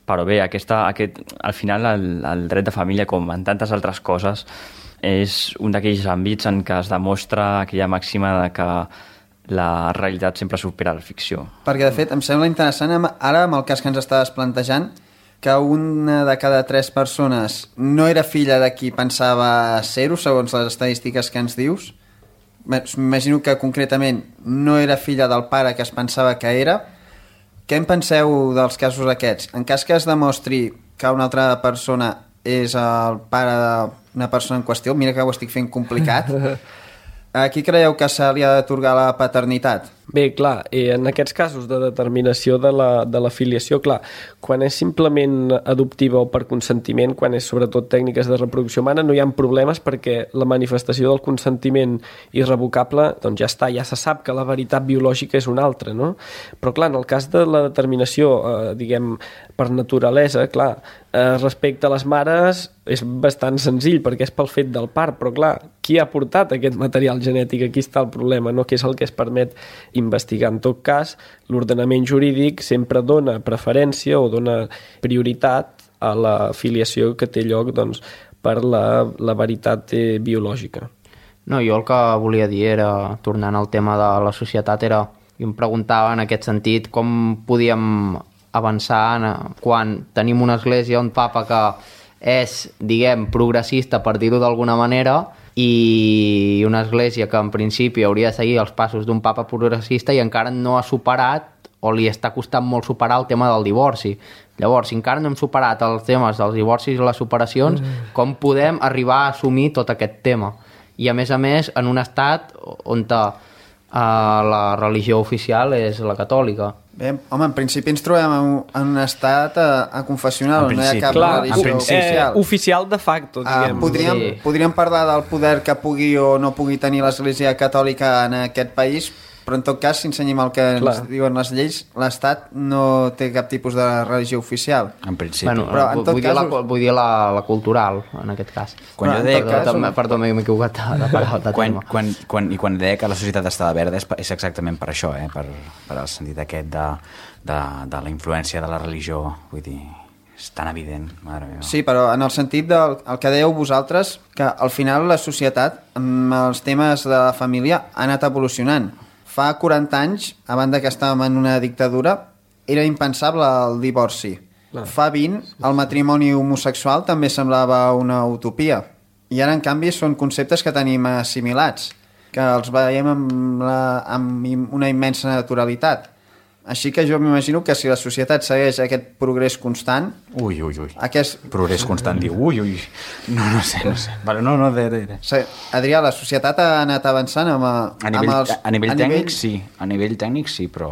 Però bé, aquesta, aquest, al final el, el dret de família, com en tantes altres coses, és un d'aquells àmbits en què es demostra aquella màxima de que la realitat sempre supera la ficció. Perquè, de fet, em sembla interessant ara, amb el cas que ens estaves plantejant, que una de cada tres persones no era filla de qui pensava ser-ho, segons les estadístiques que ens dius. M'imagino que concretament no era filla del pare que es pensava que era. Què en penseu dels casos aquests? En cas que es demostri que una altra persona és el pare d'una persona en qüestió, mira que ho estic fent complicat, a qui creieu que se li ha d'atorgar la paternitat? Bé, clar, eh, en aquests casos de determinació de la, de la filiació, clar, quan és simplement adoptiva o per consentiment, quan és sobretot tècniques de reproducció humana, no hi ha problemes perquè la manifestació del consentiment irrevocable, doncs ja està, ja se sap que la veritat biològica és una altra, no? Però clar, en el cas de la determinació, eh, diguem, per naturalesa, clar, eh, respecte a les mares és bastant senzill perquè és pel fet del part, però clar, qui ha portat aquest material genètic? Aquí està el problema, no? Que és el que es permet investigar. En tot cas, l'ordenament jurídic sempre dona preferència o dona prioritat a la filiació que té lloc doncs, per la, la veritat eh, biològica. No, jo el que volia dir era, tornant al tema de la societat, era, i em preguntava en aquest sentit com podíem avançar en, quan tenim una església, un papa que és, diguem, progressista, per dir-ho d'alguna manera, i una església que en principi hauria de seguir els passos d'un papa progressista i encara no ha superat o li està costant molt superar el tema del divorci. Llavors, si encara no hem superat els temes dels divorcis i les separacions, mm. com podem arribar a assumir tot aquest tema? I a més a més, en un estat on uh, la religió oficial és la catòlica. Bé, home, en principi ens trobem en, en un estat a, a confessional, on no hi ha cap clar, religió oficial. Eh, oficial de facto, diguem. Uh, podríem, sí. podríem parlar del poder que pugui o no pugui tenir l'Església Catòlica en aquest país, però en tot cas, si ensenyem el que clar. ens diuen les lleis, l'Estat no té cap tipus de religió oficial. En principi. Bueno, però en tot vull, cas... dir la, vull dir la, la cultural, en aquest cas. Quan però, jo deia perdó, que... També, perdó, m'he equivocat de paraula de quan, tema. Quan, quan, I quan deia que la societat estava verda és, és exactament per això, eh? per, per el sentit aquest de, de, de la influència de la religió, vull dir... És tan evident, mare meva. Sí, però en el sentit del el que dèieu vosaltres, que al final la societat, amb els temes de la família, ha anat evolucionant. Fa quaranta anys, a banda que estàvem en una dictadura, era impensable el divorci. Clar. Fa vint, el matrimoni homosexual també semblava una utopia. I ara, en canvi, són conceptes que tenim assimilats, que els veiem amb, la, amb una immensa naturalitat. Així que jo m'imagino que si la societat segueix aquest progrés constant... Ui, ui, ui. Aquest... Progrés constant, diu, ui, ui. No, no sé, no sé. Vale, no, no, de, de, de. Adrià, la societat ha anat avançant amb, a, a nivell, amb els... A nivell a tècnic, nivell... sí. A nivell tècnic, sí, però...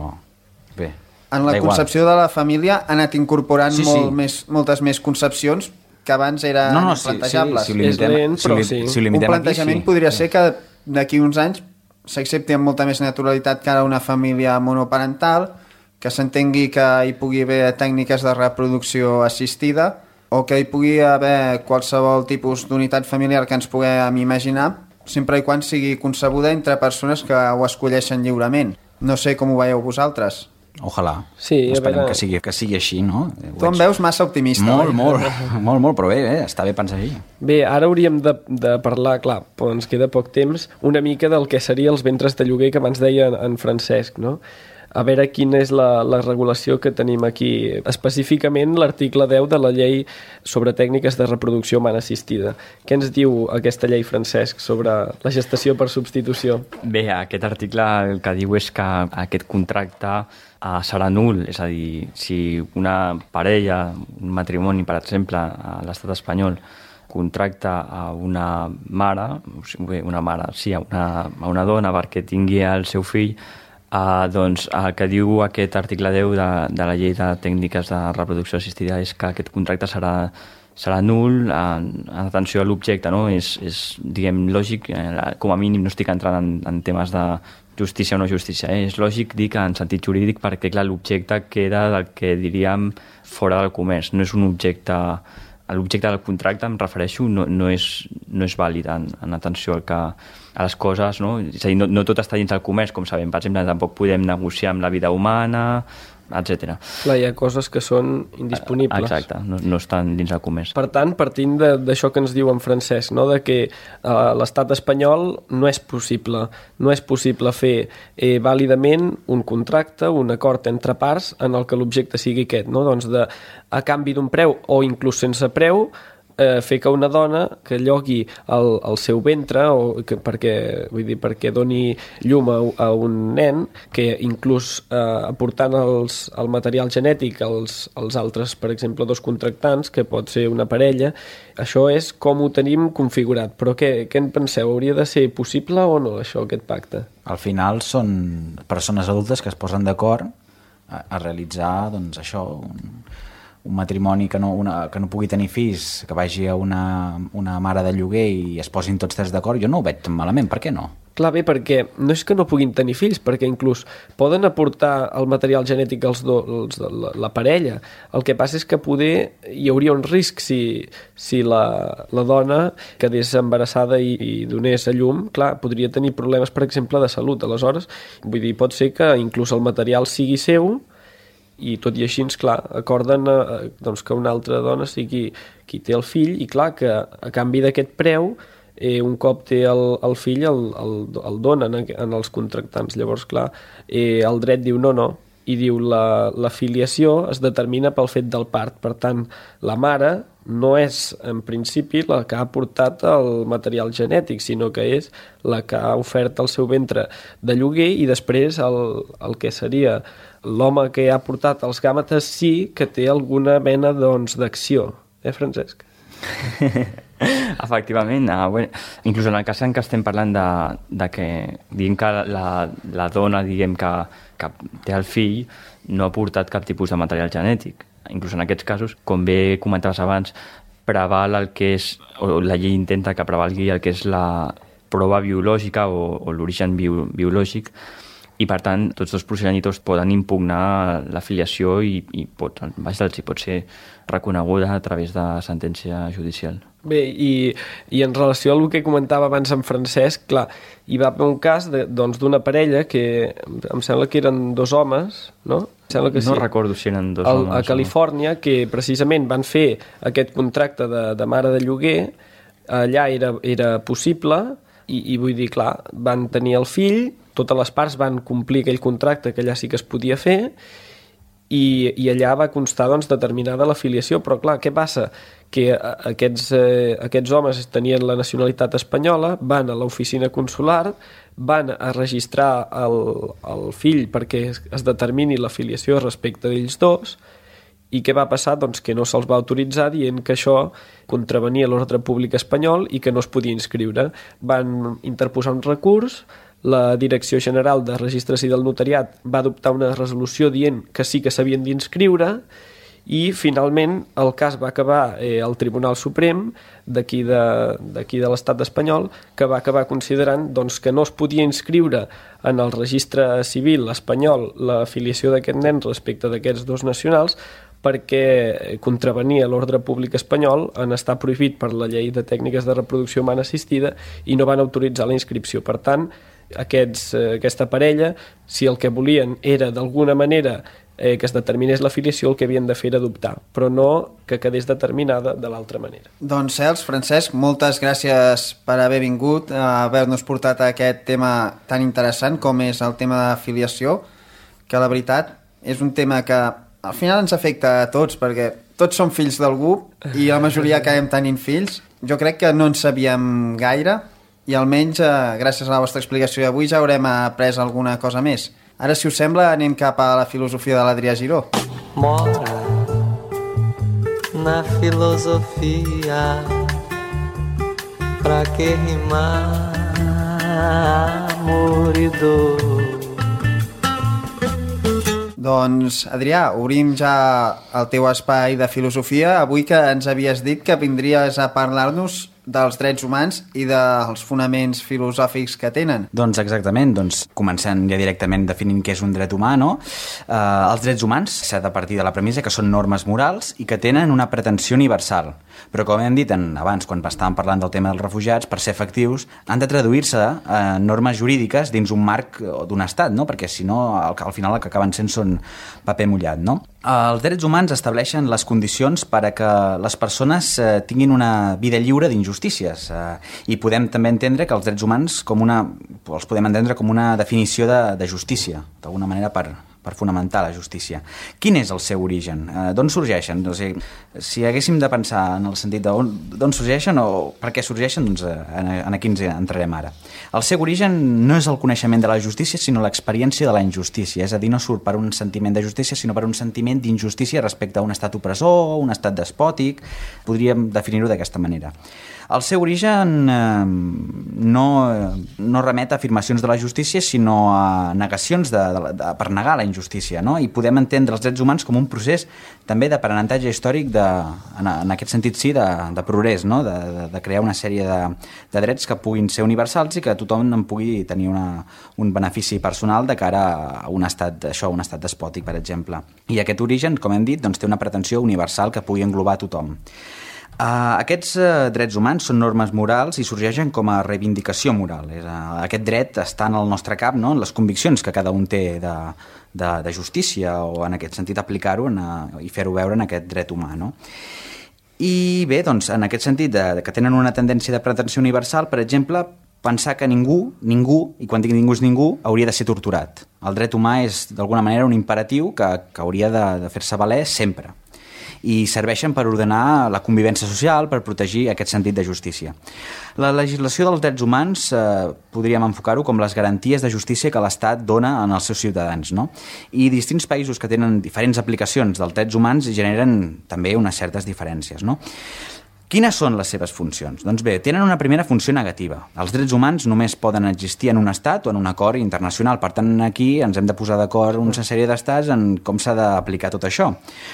Bé, en la concepció de la família ha anat incorporant sí, molt sí. Més, moltes més concepcions que abans eren no, no, sí, plantejables. Sí, sí, si limitem, lent, si li, sí. si limitem Un plantejament aquí, sí. podria ser que d'aquí uns anys s'accepti amb molta més naturalitat que ara una família monoparental, que s'entengui que hi pugui haver tècniques de reproducció assistida o que hi pugui haver qualsevol tipus d'unitat familiar que ens puguem imaginar, sempre i quan sigui concebuda entre persones que ho escolleixen lliurement. No sé com ho veieu vosaltres. Ojalà. Sí, esperem veure... que, sigui, que sigui així, no? Tu em veus massa optimista. Molt, oi? molt, molt, molt, però bé, bé, està bé pensar així. Bé, ara hauríem de, de parlar, clar, però ens queda poc temps, una mica del que seria els ventres de lloguer que abans deia en Francesc, no? A veure quina és la, la regulació que tenim aquí. Específicament l'article deu de la llei sobre tècniques de reproducció humana assistida. Què ens diu aquesta llei, Francesc, sobre la gestació per substitució? Bé, aquest article el que diu és que aquest contracte uh, serà nul, és a dir, si una parella, un matrimoni, per exemple, a l'estat espanyol, contracta a una mare, o sigui, una mare, sí, a una, a una dona perquè tingui el seu fill, Uh, doncs el que diu aquest article deu de, de la llei de tècniques de reproducció assistida és que aquest contracte serà, serà nul en, en atenció a l'objecte, no? És, és, diguem, lògic, eh, com a mínim no estic entrant en, en temes de justícia o no justícia, eh? És lògic dir que en sentit jurídic perquè, clar, l'objecte queda del que diríem fora del comerç, no és un objecte... L'objecte del contracte, em refereixo, no, no, és, no és vàlid en, en atenció al que, a les coses, no? És a dir, no, no tot està dins del comerç, com sabem. Per exemple, tampoc podem negociar amb la vida humana, etcètera. Clar, hi ha coses que són indisponibles. Exacte, no, no estan dins del comerç. Per tant, partint d'això que ens diu en Francesc, no? De que a l'estat espanyol no és possible, no és possible fer eh, vàlidament un contracte, un acord entre parts en el que l'objecte sigui aquest, no? Doncs de, a canvi d'un preu o inclús sense preu, eh, fer que una dona que llogui el, el seu ventre o que, perquè, vull dir, perquè doni llum a, a un nen, que inclús eh, aportant els, el material genètic als, als altres, per exemple, dos contractants, que pot ser una parella, això és com ho tenim configurat. Però què, què en penseu? Hauria de ser possible o no, això, aquest pacte? Al final són persones adultes que es posen d'acord a, a realitzar, doncs, això, un... un matrimoni que no, una, que no pugui tenir fills, que vagi a una, una mare de lloguer i es posin tots tres d'acord, jo no ho veig tan malament, per què no? Clar, bé, perquè no és que no puguin tenir fills, perquè inclús poden aportar el material genètic als do, els, la, la parella. El que passa és que poder hi hauria un risc si, si la, la dona quedés embarassada i, i donés a llum, clar, podria tenir problemes, per exemple, de salut. Aleshores, vull dir, pot ser que inclús el material sigui seu, i tot i així, clar, acorden eh, doncs que una altra dona sigui qui té el fill i clar que a canvi d'aquest preu eh, un cop té el, el fill el, el, el donen en els contractants. Llavors, clar, eh, el dret diu no, no, i diu la, la filiació es determina pel fet del part. Per tant, la mare no és en principi la que ha aportat el material genètic, sinó que és la que ha ofert el seu ventre de lloguer i després el, el que seria l'home que ha portat els gàmetes sí que té alguna mena doncs, d'acció. Eh, Francesc? Efectivament, uh, bueno, inclús en el cas en què estem parlant de, de que diguem que la, la dona diguem que, que té el fill no ha portat cap tipus de material genètic. Inclús en aquests casos, com bé comentaves abans, preval el que és, o la llei intenta que prevalgui el que és la prova biològica o, o l'origen bio, biològic, i per tant tots dos progenitors poden impugnar la filiació i, i pot, vaja, si pot ser reconeguda a través de sentència judicial. Bé, i, i en relació al que comentava abans en Francesc, clar, hi va haver un cas de, doncs, d'una parella que em sembla que eren dos homes, no? Em sembla que no sí. recordo si eren dos Al, homes. A Califòrnia, que precisament van fer aquest contracte de, de mare de lloguer, allà era, era possible, i, i vull dir, clar, van tenir el fill, totes les parts van complir aquell contracte que allà sí que es podia fer, i, i allà va constar doncs, determinada l'afiliació, però clar, què passa? Que aquests, eh, aquests homes tenien la nacionalitat espanyola, van a l'oficina consular, van a registrar el, el fill perquè es, es determini l'afiliació respecte d'ells dos, i què va passar? Doncs que no se'ls va autoritzar dient que això contravenia l'ordre públic espanyol i que no es podia inscriure. Van interposar un recurs, la Direcció General de Registre Civil del Notariat va adoptar una resolució dient que sí que s'havien d'inscriure, i finalment el cas va acabar eh, al Tribunal Suprem d'aquí de, d'aquí de l'estat espanyol, que va acabar considerant doncs, que no es podia inscriure en el registre civil espanyol l'afiliació d'aquest nen respecte d'aquests dos nacionals, perquè contravenia l'ordre públic espanyol en estar prohibit per la llei de tècniques de reproducció humana assistida i no van autoritzar la inscripció. Per tant, aquests, eh, aquesta parella, si el que volien era d'alguna manera eh, que es determinés l'afiliació, el que havien de fer era adoptar, però no que quedés determinada de l'altra manera. Doncs Cels, Francesc, moltes gràcies per haver vingut, a haver-nos portat a aquest tema tan interessant com és el tema d'afiliació, que la veritat és un tema que al final ens afecta a tots, perquè tots som fills d'algú i la majoria acabem tenint fills. Jo crec que no en sabíem gaire i almenys eh, gràcies a la vostra explicació d'avui ja haurem après alguna cosa més. Ara, si us sembla, anem cap a la filosofia de l'Adrià Giró. Mora na filosofia, pra que rimar amor i dor. Doncs, Adrià, obrim ja el teu espai de filosofia. Avui que ens havies dit que vindries a parlar-nos dels drets humans i dels fonaments filosòfics que tenen. Doncs exactament, doncs començant ja directament definint què és un dret humà, no? Eh, els drets humans s'ha de partir de la premissa que són normes morals i que tenen una pretensió universal. Però com hem dit en, abans, quan estàvem parlant del tema dels refugiats, per ser efectius han de traduir-se en normes jurídiques dins un marc d'un estat, no? Perquè si no, al, al final el que acaben sent són paper mullat, no? Els drets humans estableixen les condicions per a que les persones eh, tinguin una vida lliure d'injustícies eh, i podem també entendre que els drets humans com una, els podem entendre com una definició de, de justícia, d'alguna manera per, per fonamentar la justícia. Quin és el seu origen? Eh, d'on sorgeixen? O sigui, si haguéssim de pensar en el sentit d'on sorgeixen o per què sorgeixen, doncs eh, en, en aquí ens entrarem ara. El seu origen no és el coneixement de la justícia, sinó l'experiència de la injustícia, és a dir, no surt per un sentiment de justícia, sinó per un sentiment d'injustícia respecte a un estat opressor, un estat despòtic, podríem definir-ho d'aquesta manera. El seu origen eh, no, no remet a afirmacions de la justícia, sinó a negacions de, de, de, per negar la injustícia, no? I podem entendre els drets humans com un procés també d'aprenentatge històric, de, en, en aquest sentit sí, de, de progrés, no? de, de, de crear una sèrie de, de drets que puguin ser universals i que tothom en pugui tenir una, un benefici personal de cara a un estat, això, un estat despòtic, per exemple. I aquest origen, com hem dit, doncs, té una pretensió universal que pugui englobar tothom. Uh, aquests uh, drets humans són normes morals i sorgeixen com a reivindicació moral. És, uh, aquest dret està en el nostre cap, no? En les conviccions que cada un té de, de, de justícia, o en aquest sentit aplicar-ho en, uh, i fer-ho veure en aquest dret humà, no? I bé, doncs, en aquest sentit de, de que tenen una tendència de pretensió universal, per exemple, pensar que ningú, ningú, i quan dic ningú és ningú, hauria de ser torturat. El dret humà és d'alguna manera un imperatiu que, que hauria de, de fer-se valer sempre, i serveixen per ordenar la convivència social, per protegir aquest sentit de justícia. La legislació dels drets humans eh, podríem enfocar-ho com les garanties de justícia que l'Estat dona als seus ciutadans, no? I distints països que tenen diferents aplicacions dels drets humans generen també unes certes diferències, no? Quines són les seves funcions? Doncs bé, tenen una primera funció negativa. Els drets humans només poden existir en un estat o en un acord internacional. Per tant, aquí ens hem de posar d'acord una sèrie d'estats en com s'ha d'aplicar tot això.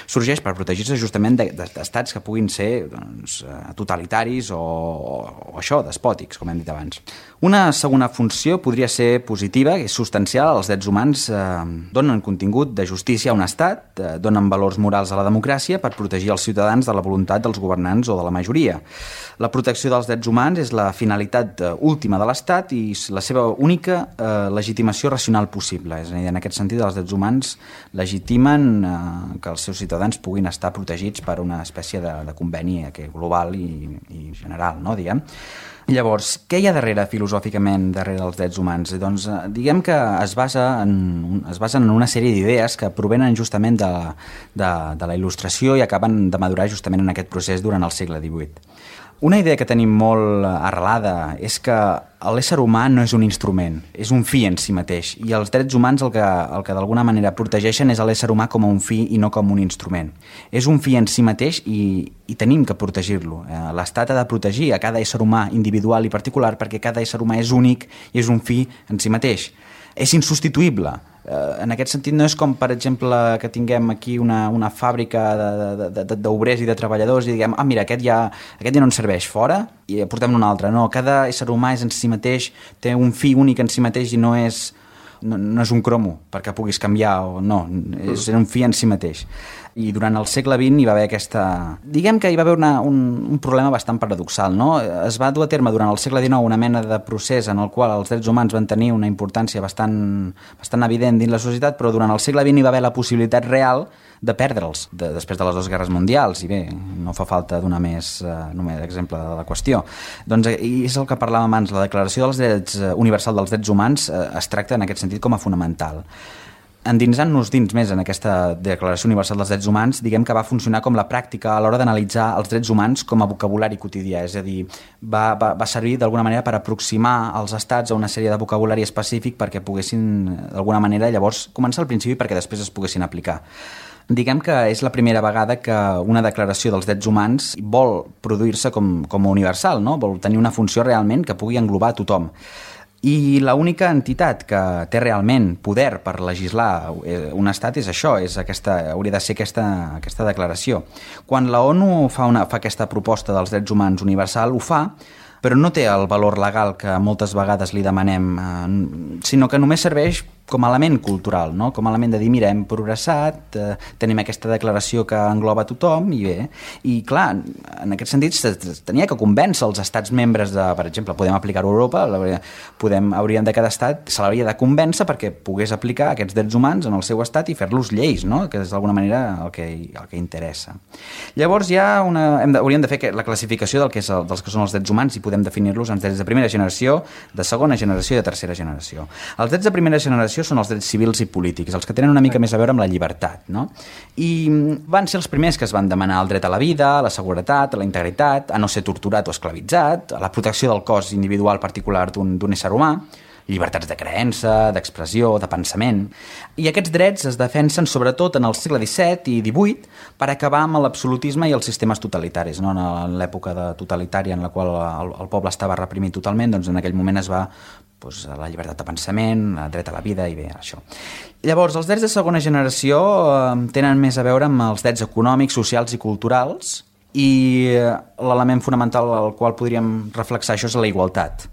Sorgeix per protegir-se justament d'estats que puguin ser doncs, totalitaris o, o això, despòtics, com hem dit abans. Una segona funció podria ser positiva, que és substancial. Els drets humans eh, donen contingut de justícia a un estat, eh, donen valors morals a la democràcia per protegir els ciutadans de la voluntat dels governants o de la majoria majoria. La protecció dels drets humans és la finalitat última de l'Estat i la seva única eh, legitimació racional possible. És a dir, en aquest sentit, els drets humans legitimen eh, que els seus ciutadans puguin estar protegits per una espècie de, de conveni eh, global i, i general, no, diguem. Llavors, què hi ha darrere, filosòficament, darrere dels drets humans? Doncs, eh, diguem que es, basa en, es basen en una sèrie d'idees que provenen justament de, de, de la il·lustració i acaben de madurar justament en aquest procés durant el segle divuit. Una idea que tenim molt arrelada és que l'ésser humà no és un instrument, és un fi en si mateix, i els drets humans el que, el que d'alguna manera protegeixen és l'ésser humà com a un fi i no com un instrument. És un fi en si mateix i, i tenim que protegir-lo. L'Estat ha de protegir a cada ésser humà individual i particular perquè cada ésser humà és únic i és un fi en si mateix. És insubstituïble. En aquest sentit no és com, per exemple, que tinguem aquí una, una fàbrica d'obrers i de treballadors i diguem, ah, mira, aquest ja, aquest ja no ens serveix, fora, i portem un altre. No, cada ésser humà és en si mateix, té un fi únic en si mateix i no és, no, no és un cromo perquè puguis canviar o no, és un fi en si mateix. I durant el segle vint hi va haver aquesta... Diguem que hi va haver una, un, un problema bastant paradoxal, no? Es va dur a terme durant el segle dinou una mena de procés en el qual els drets humans van tenir una importància bastant, bastant evident dins la societat, però durant el segle vint hi va haver la possibilitat real de perdre'ls de, després de les dues guerres mundials, i bé, no fa falta donar més eh, només exemple de la qüestió. Doncs i és el que parlàvem abans, la Declaració dels Drets Universal dels Drets Humans eh, es tracta en aquest sentit com a fonamental. Endinsant-nos dins més en aquesta Declaració Universal dels Drets Humans, diguem que va funcionar com la pràctica a l'hora d'analitzar els drets humans com a vocabulari quotidià, és a dir, va, va, va servir d'alguna manera per aproximar els estats a una sèrie de vocabulari específic perquè poguessin, d'alguna manera, llavors començar al principi perquè després es poguessin aplicar. Diguem que és la primera vegada que una declaració dels drets humans vol produir-se com, com a universal, no? Vol tenir una funció realment que pugui englobar a tothom. I l'única entitat que té realment poder per legislar un estat és això, és aquesta, hauria de ser aquesta, aquesta declaració. Quan la ONU fa, una, fa aquesta proposta dels drets humans universal, ho fa, però no té el valor legal que moltes vegades li demanem, eh, sinó que només serveix com a element cultural, no? Com a element de dir, mira, hem progressat, eh, tenim aquesta declaració que engloba tothom, i bé, i clar, en aquest sentit tenia que convèncer els estats membres de, per exemple, podem aplicar-ho a Europa, podem, hauríem de cada estat, se l'hauria de convèncer perquè pogués aplicar aquests drets humans en el seu estat i fer-los lleis, no? Que és d'alguna manera el que, el que interessa. Llavors hi ha una, hem de, hauríem de fer la classificació del que és el, dels que són els drets humans i podem definir-los en drets de primera generació, de segona generació i de tercera generació. Els drets de primera generació són els drets civils i polítics, els que tenen una mica més a veure amb la llibertat, no? I van ser els primers que es van demanar el dret a la vida, a la seguretat, a la integritat, a no ser torturat o esclavitzat, a la protecció del cos individual particular d'un d'un ésser humà, llibertats de creença, d'expressió, de pensament. I aquests drets es defensen sobretot en el segle disset i divuit per acabar amb l'absolutisme i els sistemes totalitaris, no? En l'època de totalitària en la qual el, el poble estava reprimit totalment, doncs en aquell moment es va doncs, la llibertat de pensament, el dret a la vida i bé, això. Llavors, els drets de segona generació eh, tenen més a veure amb els drets econòmics, socials i culturals, i l'element fonamental al qual podríem reflexar això és la igualtat.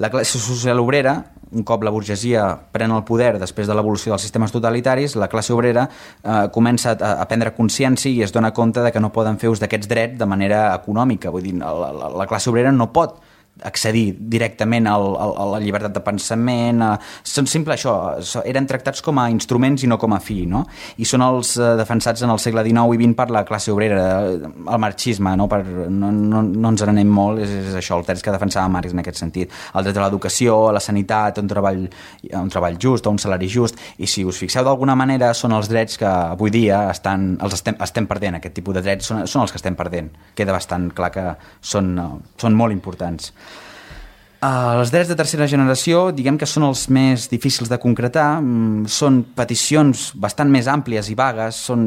La classe social obrera, un cop la burgesia pren el poder després de l'evolució dels sistemes totalitaris, la classe obrera eh, comença a, a prendre consciència i es dona compte de que no poden fer ús d'aquests drets de manera econòmica. Vull dir, la, la, la classe obrera no pot accedir directament al, al, a la llibertat de pensament, a, són simple això, eren tractats com a instruments i no com a fi, no? I són els eh, defensats en el segle dinou i vint per la classe obrera, el marxisme, no, per, no, no, no ens n'anem molt, és, és això, els drets que defensava Marx en aquest sentit, el dret a l'educació, a la sanitat, a un treball, a un treball just, a un salari just, i si us fixeu d'alguna manera són els drets que avui dia estan, els estem, estem perdent, aquest tipus de drets són, són els que estem perdent, queda bastant clar que són, són molt importants. Uh, els drets de tercera generació, diguem que són els més difícils de concretar, mm, són peticions bastant més àmplies i vagues, són,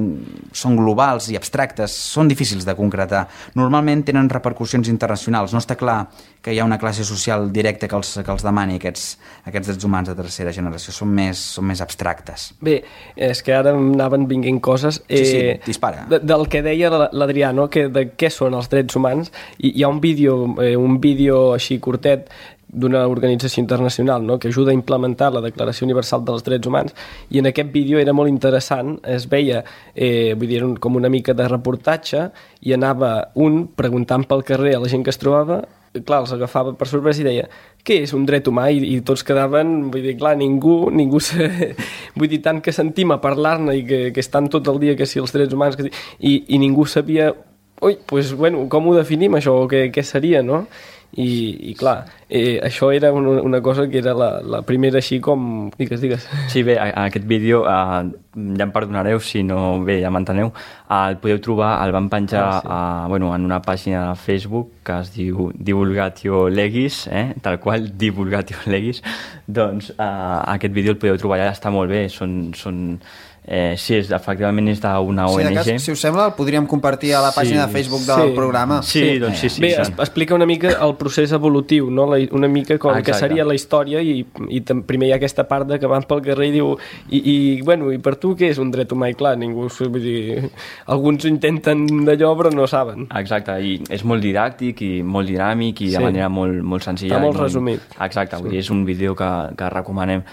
són globals i abstractes, són difícils de concretar. Normalment tenen repercussions internacionals, no està clar que hi ha una classe social directa que els, que els demani aquests, aquests drets humans de tercera generació, són més, són més abstractes. Bé, és que ara anaven vinguent coses. Eh, sí, sí, dispara. De, del que deia l'Adrià, no? Que de què són els drets humans, i hi ha un vídeo, eh, un vídeo així curtet d'una organització internacional, no?, que ajuda a implementar la Declaració Universal dels Drets Humans, i en aquest vídeo era molt interessant, es veia eh, vull dir, com una mica de reportatge, i anava un preguntant pel carrer a la gent que es trobava, clar, els agafava per sorpresa i deia què és un dret humà? I, i tots quedaven, vull dir, clar, ningú, ningú se... vull dir, tant que sentim a parlar-ne i que, que estan tot el dia que si els drets humans, que si... I, i ningú sabia, ui, pues, bueno, com ho definim això, o què, què seria, no? I, i clar, eh, això era una, una cosa que era la, la primera així com... Digues, digues. Sí, bé, a, a aquest vídeo, eh, ja em perdonareu si no... Bé, ja m'enteneu. Eh, el podeu trobar, el van penjar ah, sí. a, bueno, en una pàgina de Facebook que es diu Divulgatio Legis, eh? Tal qual, Divulgatio Legis. Doncs eh, aquest vídeo el podeu trobar allà, està molt bé, són... són Eh, sí, és, efectivament és d'una O N G. Sí, cas, si us sembla, el podríem compartir a la pàgina sí, de Facebook del sí, programa. Sí, sí, doncs sí, sí. Bé, es, explica una mica el procés evolutiu, no? La, una mica com Exacte. Que seria la història i, i primer hi ha aquesta part de que van pel carrer i diu i, i, bueno, i per tu què és un dret humà? I clar, ningú, vull dir, alguns intenten d'allò però no saben. Exacte, i és molt didàctic i molt dinàmic i de sí. manera molt, molt senzilla. Està molt molt resumit. Exacte, sí. vull dir, és un vídeo que, que recomanem.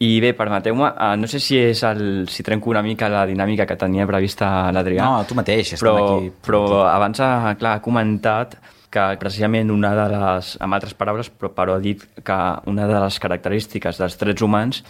I bé, permeteu-me, uh, no sé si és el, si trenco una mica la dinàmica que tenia prevista l'Adrià. No, tu mateix, però, estem aquí. Però abans ha, clar, ha comentat que precisament una de les, amb altres paraules, però, però ha dit que una de les característiques dels drets humans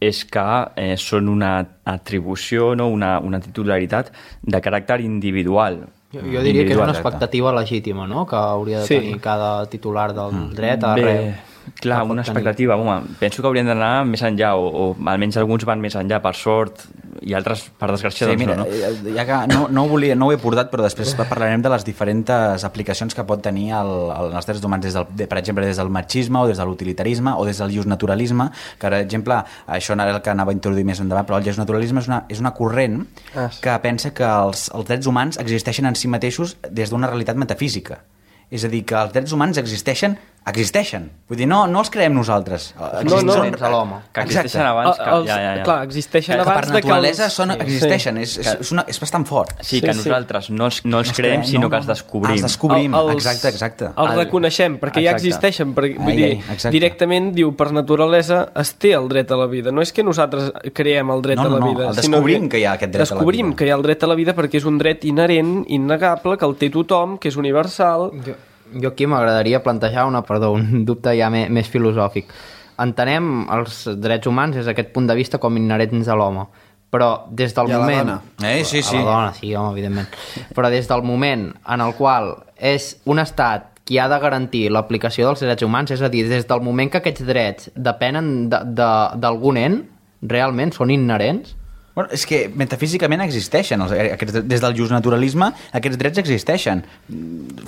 és que eh, són una atribució, no? una, una titularitat de caràcter individual. Jo, jo diria que és una expectativa legítima, no?, que hauria de sí. tenir cada titular del dret arreu. Bé, clar, una expectativa, home, penso que haurien d'anar més enllà, o, o almenys alguns van més enllà, per sort, i altres, per desgràcia, sí, doncs mira, no, no? Ja que no, no, ho volia, no ho he portat, però després parlarem de les diferents aplicacions que pot tenir el, el, els drets humans, des del, de, per exemple, des del machisme, o des de l'utilitarisme, o des del justnaturalisme, que, per exemple, això era el que anava a introduir més endavant, però el justnaturalisme és una, és una corrent ah, sí. que pensa que els, els drets humans existeixen en si mateixos des d'una realitat metafísica. És a dir, que els drets humans existeixen, existeixen. Vull dir, no, no els creem nosaltres. No, no, a l'home. Que existeixen abans. Que, els, ja, ja, ja. Clar, existeixen que, abans que per naturalesa de que els... són, existeixen. Sí. És, és, és, una, és bastant fort. Sí, que sí, nosaltres sí. no els, no els creem, sinó no, que els descobrim. Els descobrim, el, els, exacte, exacte. Els reconeixem, perquè exacte. Ja existeixen. Perquè, vull dir, ai, ai, directament diu, per naturalesa es té el dret a la vida. No és que nosaltres creem el dret no, no, a la no, vida. No, el descobrim que, que hi ha aquest dret a la vida. Descobrim que hi ha el dret a la vida perquè és un dret inherent, innegable, que el té tothom, que és universal... Jo... Jo aquí m'agradaria plantejar una, perdó, un dubte ja més, més filosòfic. Entenem els drets humans des d'aquest punt de vista com inherents a l'home, però des del I moment... a la dona. Eh, sí, sí. A la dona, sí, home, evidentment. Però des del moment en el qual és un estat qui ha de garantir l'aplicació dels drets humans, és a dir, des del moment que aquests drets depenen d'algun ent, realment són inherents. Bueno, és que metafísicament existeixen, els, aquests, des del justnaturalisme aquests drets existeixen,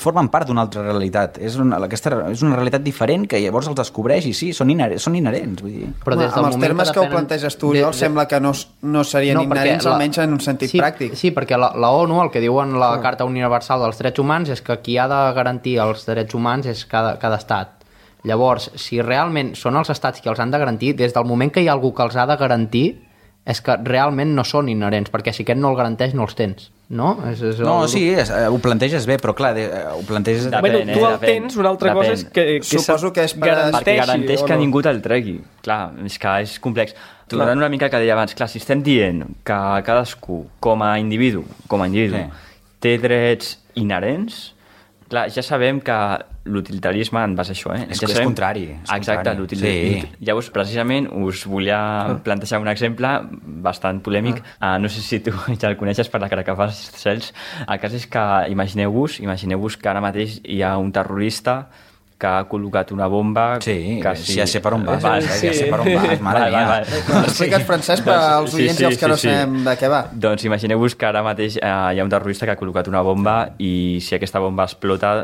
formen part d'una altra realitat, és una, aquesta, és una realitat diferent que llavors els descobreix i sí, són, inherents, són inherents vull dir. Però des del amb els termes que, depenen... que ho planteges tu, jo de, de... sembla que no, no serien no, inherents, la... almenys en un sentit sí, pràctic. Sí, perquè la, la ONU, el que diu en la ah. Carta Universal dels Drets Humans és que qui ha de garantir els drets humans és cada, cada estat. Llavors, si realment són els estats qui els han de garantir, des del moment que hi ha algú que els ha de garantir, és que realment no són inherents, perquè si aquest no el garanteix no els tens, no? És, és no, el... sí, és, ho planteges bé, però clar, de, ho planteges... Depèn, bueno, tu el depèn, tens, una altra depèn. Cosa és que, que suposo que és per garanteixi, perquè garanteix no? Que ningú te'l tregui. Clar, és que és complex. Tornant una mica que deia abans, clar, si estem dient que cadascú, com a individu, com a individu, sí. té drets inherents, clar, ja sabem que l'utilitarisme en base a això, eh? És, ja és sabem... contrari. És Exacte, l'utilitarisme. Sí. Llavors, precisament, us volia plantejar un exemple bastant polèmic. Ah. Uh, no sé si tu ja el coneixes per la cara que fas, Cels. El cas és que imagineu-vos imagineu-vos que ara mateix hi ha un terrorista que ha col·locat una bomba... Sí, que sí, ja sé per on vas, va, sí. ja sé per on vas, mare mia. Va, va. Explica't, Francesc, per als oients sí, sí, i els que no sí, sabem sí. de què va. Doncs imagineu-vos que ara mateix eh, hi ha un terrorista que ha col·locat una bomba i si aquesta bomba explota,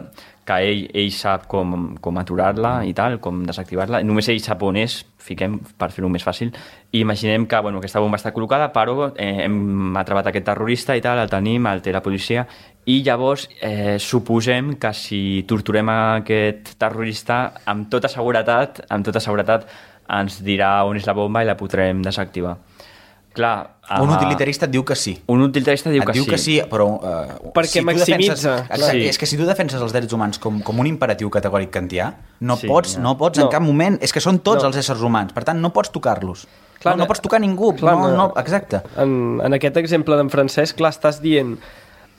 que ell, ell sap com, com aturar-la i tal, com desactivar-la. Només ell sap on és, fiquem, per fer-ho més fàcil. I imaginem que bueno, aquesta bomba està col·locada, però eh, hem atrapat aquest terrorista i tal, el tenim, el té la policia, i llavors eh, suposem que si torturem aquest terrorista, amb tota seguretat, amb tota seguretat ens dirà on és la bomba i la podrem desactivar. Clar, uh, un utilitarista et diu que sí. Un utilitarista diu et que diu sí. que sí, però... Uh, perquè si maximitza. Defenses, exacte, sí. És que si tu defenses els drets humans com, com un imperatiu categòric kantià, no sí, pots, ja. no pots no. en cap moment... És que són tots no. els éssers humans, per tant, no pots tocar-los. Clar, no, no pots tocar ningú. Clar, no, no, exacte. En, en aquest exemple d'en Francesc, clar, estàs dient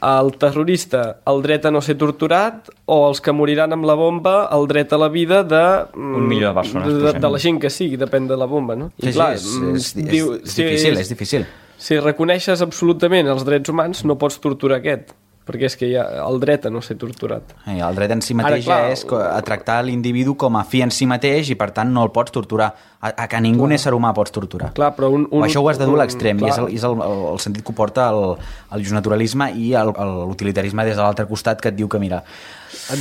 al terrorista el dret a no ser torturat o els que moriran amb la bomba el dret a la vida de... Un milió de persones. De, de, de la gent que sigui, depèn de la bomba, no? I sí, clar, sí, és, és, és, diu, és difícil, és, és difícil. Si reconeixes absolutament els drets humans, no pots torturar aquest, perquè és que hi ha el dret a no ser torturat. I el dret en si mateix Ara, clar, és a tractar l'individu com a fi en si mateix i, per tant, no el pots torturar. A, a que ningú clar. ésser humà pots torturar. Clar, però un, un, o això ho has de dur a l'extrem, i és, el, és el, el, el sentit que ho porta el, el justnaturalisme i el, l'utilitarisme des de l'altre costat, que et diu que, mira,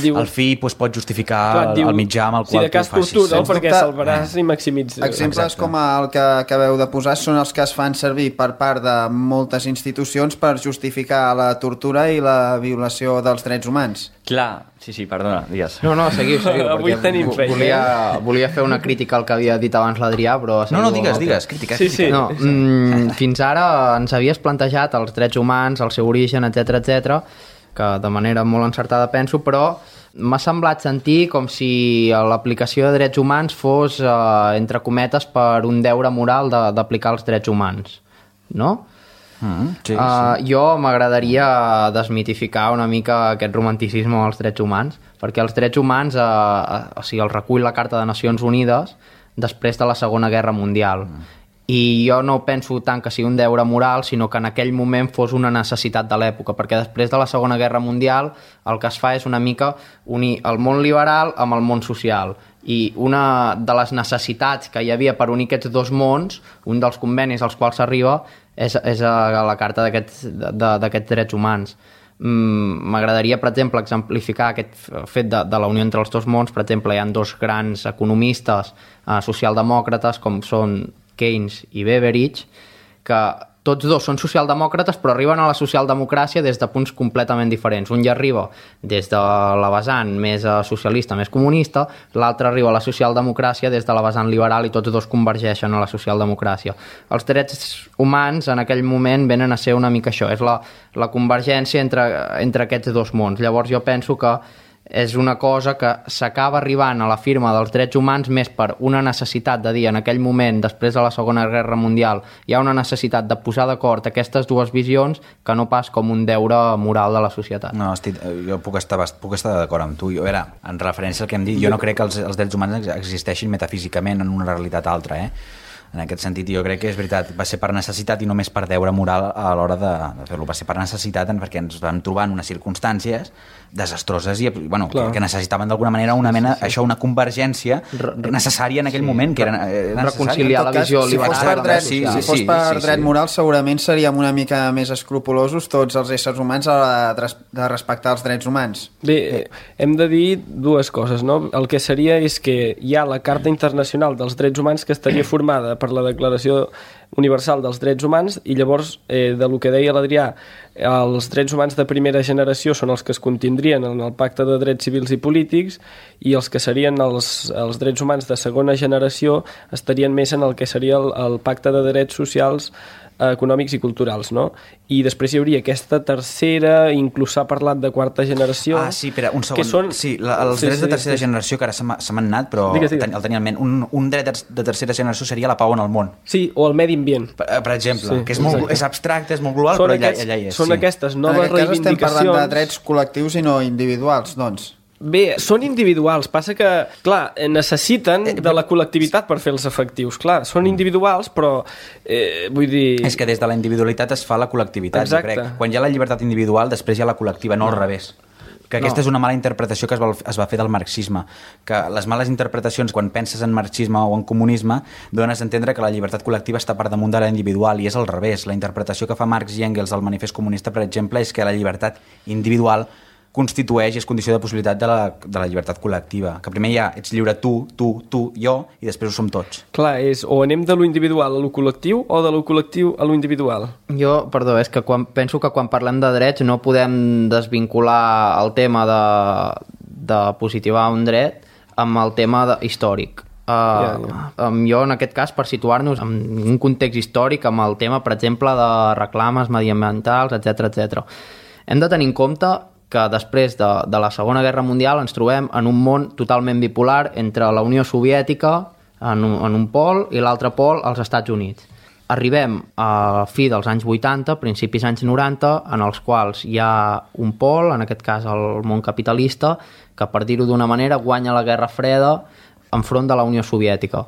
diu, el fi pues, pot justificar clar, diu, el mitjà amb el qual si de cas tu facis. tortura, perquè salvaràs eh. i maximitzes. Exemples Exacte. com el que acabeu de posar són els que es fan servir per part de moltes institucions per justificar la tortura i la violació dels drets humans. Clar, sí, sí, perdona, digues. No, no, seguiu, seguiu. Avui tenim feina. Volia, volia fer una crítica al que havia dit abans l'Adrià, però... No, no, digues, digues, crítica. Sí, sí. No, mm, fins ara ens havies plantejat els drets humans, el seu origen, etcètera, etcètera, que de manera molt encertada penso, però m'ha semblat sentir com si l'aplicació de drets humans fos, eh, entre cometes, per un deure moral de, d'aplicar els drets humans, no? Mm, sí, sí. Uh, jo m'agradaria desmitificar una mica aquest romanticisme als drets humans, perquè els drets humans uh, uh, o sigui, els recull la Carta de Nacions Unides després de la Segona Guerra Mundial. Mm. I jo no penso tant que sigui un deure moral, sinó que en aquell moment fos una necessitat de l'època, perquè després de la Segona Guerra Mundial el que es fa és una mica unir el món liberal amb el món social. I una de les necessitats que hi havia per unir aquests dos mons, un dels convenis als quals s'arriba, és, és a la Carta d'aquests drets humans. M'agradaria, per exemple, exemplificar aquest fet de, de la unió entre els dos mons. Per exemple, hi ha dos grans economistes eh, socialdemòcrates, com són Keynes i Beveridge, que tots dos són socialdemòcrates, però arriben a la socialdemocràcia des de punts completament diferents. Un ja arriba des de la vessant més socialista, més comunista, l'altre arriba a la socialdemocràcia des de la vessant liberal, i tots dos convergeixen a la socialdemocràcia. Els drets humans en aquell moment venen a ser una mica això, és la, la convergència entre, entre aquests dos mons. Llavors jo penso que és una cosa que s'acaba arribant a la firma dels drets humans més per una necessitat de dir en aquell moment, després de la Segona Guerra Mundial, hi ha una necessitat de posar d'acord aquestes dues visions, que no pas com un deure moral de la societat. No, estic, jo puc estar, puc estar d'acord amb tu. Jo, a veure, en referència al que hem dit, jo no crec que els, els drets humans existeixin metafísicament en una realitat altra, eh? En aquest sentit, jo crec que és veritat, va ser per necessitat i només per deure moral a l'hora de, de fer-lo. Va ser per necessitat perquè ens vam trobar en unes circumstàncies desastroses i bueno, que, que necessitaven d'alguna manera una mena, sí, sí. això, una convergència necessària en aquell sí, moment, que era, era reconciliar la visió cas, liberal. Si fos per dret, sí, si sí, fos sí, per sí, dret sí. moral, segurament seríem una mica més escrupulosos tots els éssers humans a la de respectar els drets humans. Bé, hem de dir dues coses, no? El que seria és que hi ha la Carta Internacional dels Drets Humans, que estaria formada per la Declaració Universal dels Drets Humans, i llavors, eh, de lo que deia l'Adrià, els drets humans de primera generació són els que es contindrien en el Pacte de Drets Civils i Polítics, i els que serien els, els drets humans de segona generació estarien més en el que seria el, el Pacte de Drets Socials, econòmics i culturals, no? I després hi hauria aquesta tercera, inclús s'ha parlat de quarta generació... Ah, sí, espera, un segon. Són... Sí, la, els sí, drets sí, de tercera sí. generació, que ara se m'han anat, però digues, digues. el tenia en ment. Un, un dret de tercera generació seria la pau en el món. Sí, o el medi ambient. Per, per exemple, sí, que és, molt, és abstracte, és molt global, són però aquests, allà, allà hi és. Són sí. aquestes noves reivindicacions... En aquest cas estem parlant de drets col·lectius i no individuals, doncs. Bé, són individuals, passa que, clar, necessiten de la col·lectivitat per fer-los efectius. Clar, són individuals, però, eh, vull dir... És que des de la individualitat es fa la col·lectivitat, exacte. Jo crec. Quan hi ha la llibertat individual, després hi ha la col·lectiva, no al revés. Que aquesta no. és una mala interpretació que es va, es va fer del marxisme, que les males interpretacions quan penses en marxisme o en comunisme dones a entendre que la llibertat col·lectiva està per damunt de la individual, i és al revés. La interpretació que fa Marx i Engels al Manifest Comunista, per exemple, és que la llibertat individual constitueix i és condició de possibilitat de la, de la llibertat col·lectiva, que primer ja ets lliure tu, tu, tu, jo, i després ho som tots. Clar, és o anem de lo individual a lo col·lectiu o de lo col·lectiu a lo individual. Jo, perdó, és que quan, penso que quan parlem de drets no podem desvincular el tema de, de positivar un dret amb el tema de, històric. Uh, yeah, yeah. Um, jo, en aquest cas, per situar-nos en un context històric amb el tema, per exemple, de reclames mediambientals, etcètera etcètera. Hem de tenir en compte que després de, de la Segona Guerra Mundial ens trobem en un món totalment bipolar entre la Unió Soviètica en un, en un pol i l'altre pol als Estats Units. Arribem a fi dels anys vuitanta, principis anys noranta, en els quals hi ha un pol, en aquest cas el món capitalista, que, per dir-ho d'una manera, guanya la Guerra Freda enfront de la Unió Soviètica.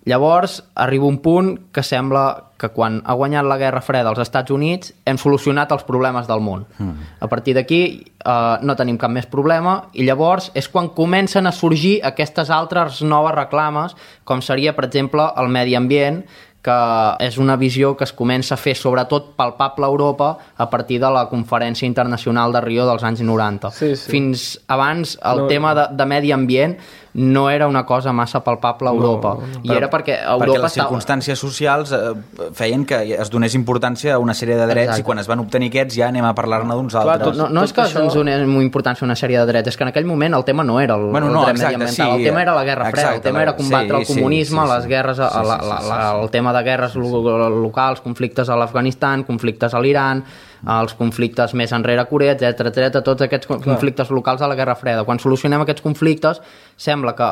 Llavors, arriba un punt que sembla que quan ha guanyat la Guerra Freda als Estats Units hem solucionat els problemes del món. Mm. A partir d'aquí eh, no tenim cap més problema i llavors és quan comencen a sorgir aquestes altres noves reclames, com seria, per exemple, el medi ambient, que és una visió que es comença a fer sobretot palpable a Europa a partir de la Conferència Internacional de Rio dels anys noranta. Sí, sí. Fins abans el no, tema de, de medi ambient no era una cosa massa palpable a Europa. No, no. I era perquè Europa perquè les circumstàncies estava... socials eh, feien que es donés importància a una sèrie de drets. Exacte. I quan es van obtenir aquests ja anem a parlar-ne d'uns altres. Clar, tot, no, no tot és que això... ens donem importància a una sèrie de drets, és que en aquell moment el tema no era el, bueno, el no, dret exacte, mediambiental, sí, el tema era la Guerra Freda, el tema era combatre sí, el comunisme, sí, sí, les guerres, sí, sí, la, la, la, el tema de guerres sí, sí. locals, conflictes a l'Afganistan, conflictes a l'Iran, els conflictes més enrere a Corea, etcètera, etcètera, tots aquests conflictes Clar. locals de la Guerra Freda. Quan solucionem aquests conflictes, sembla que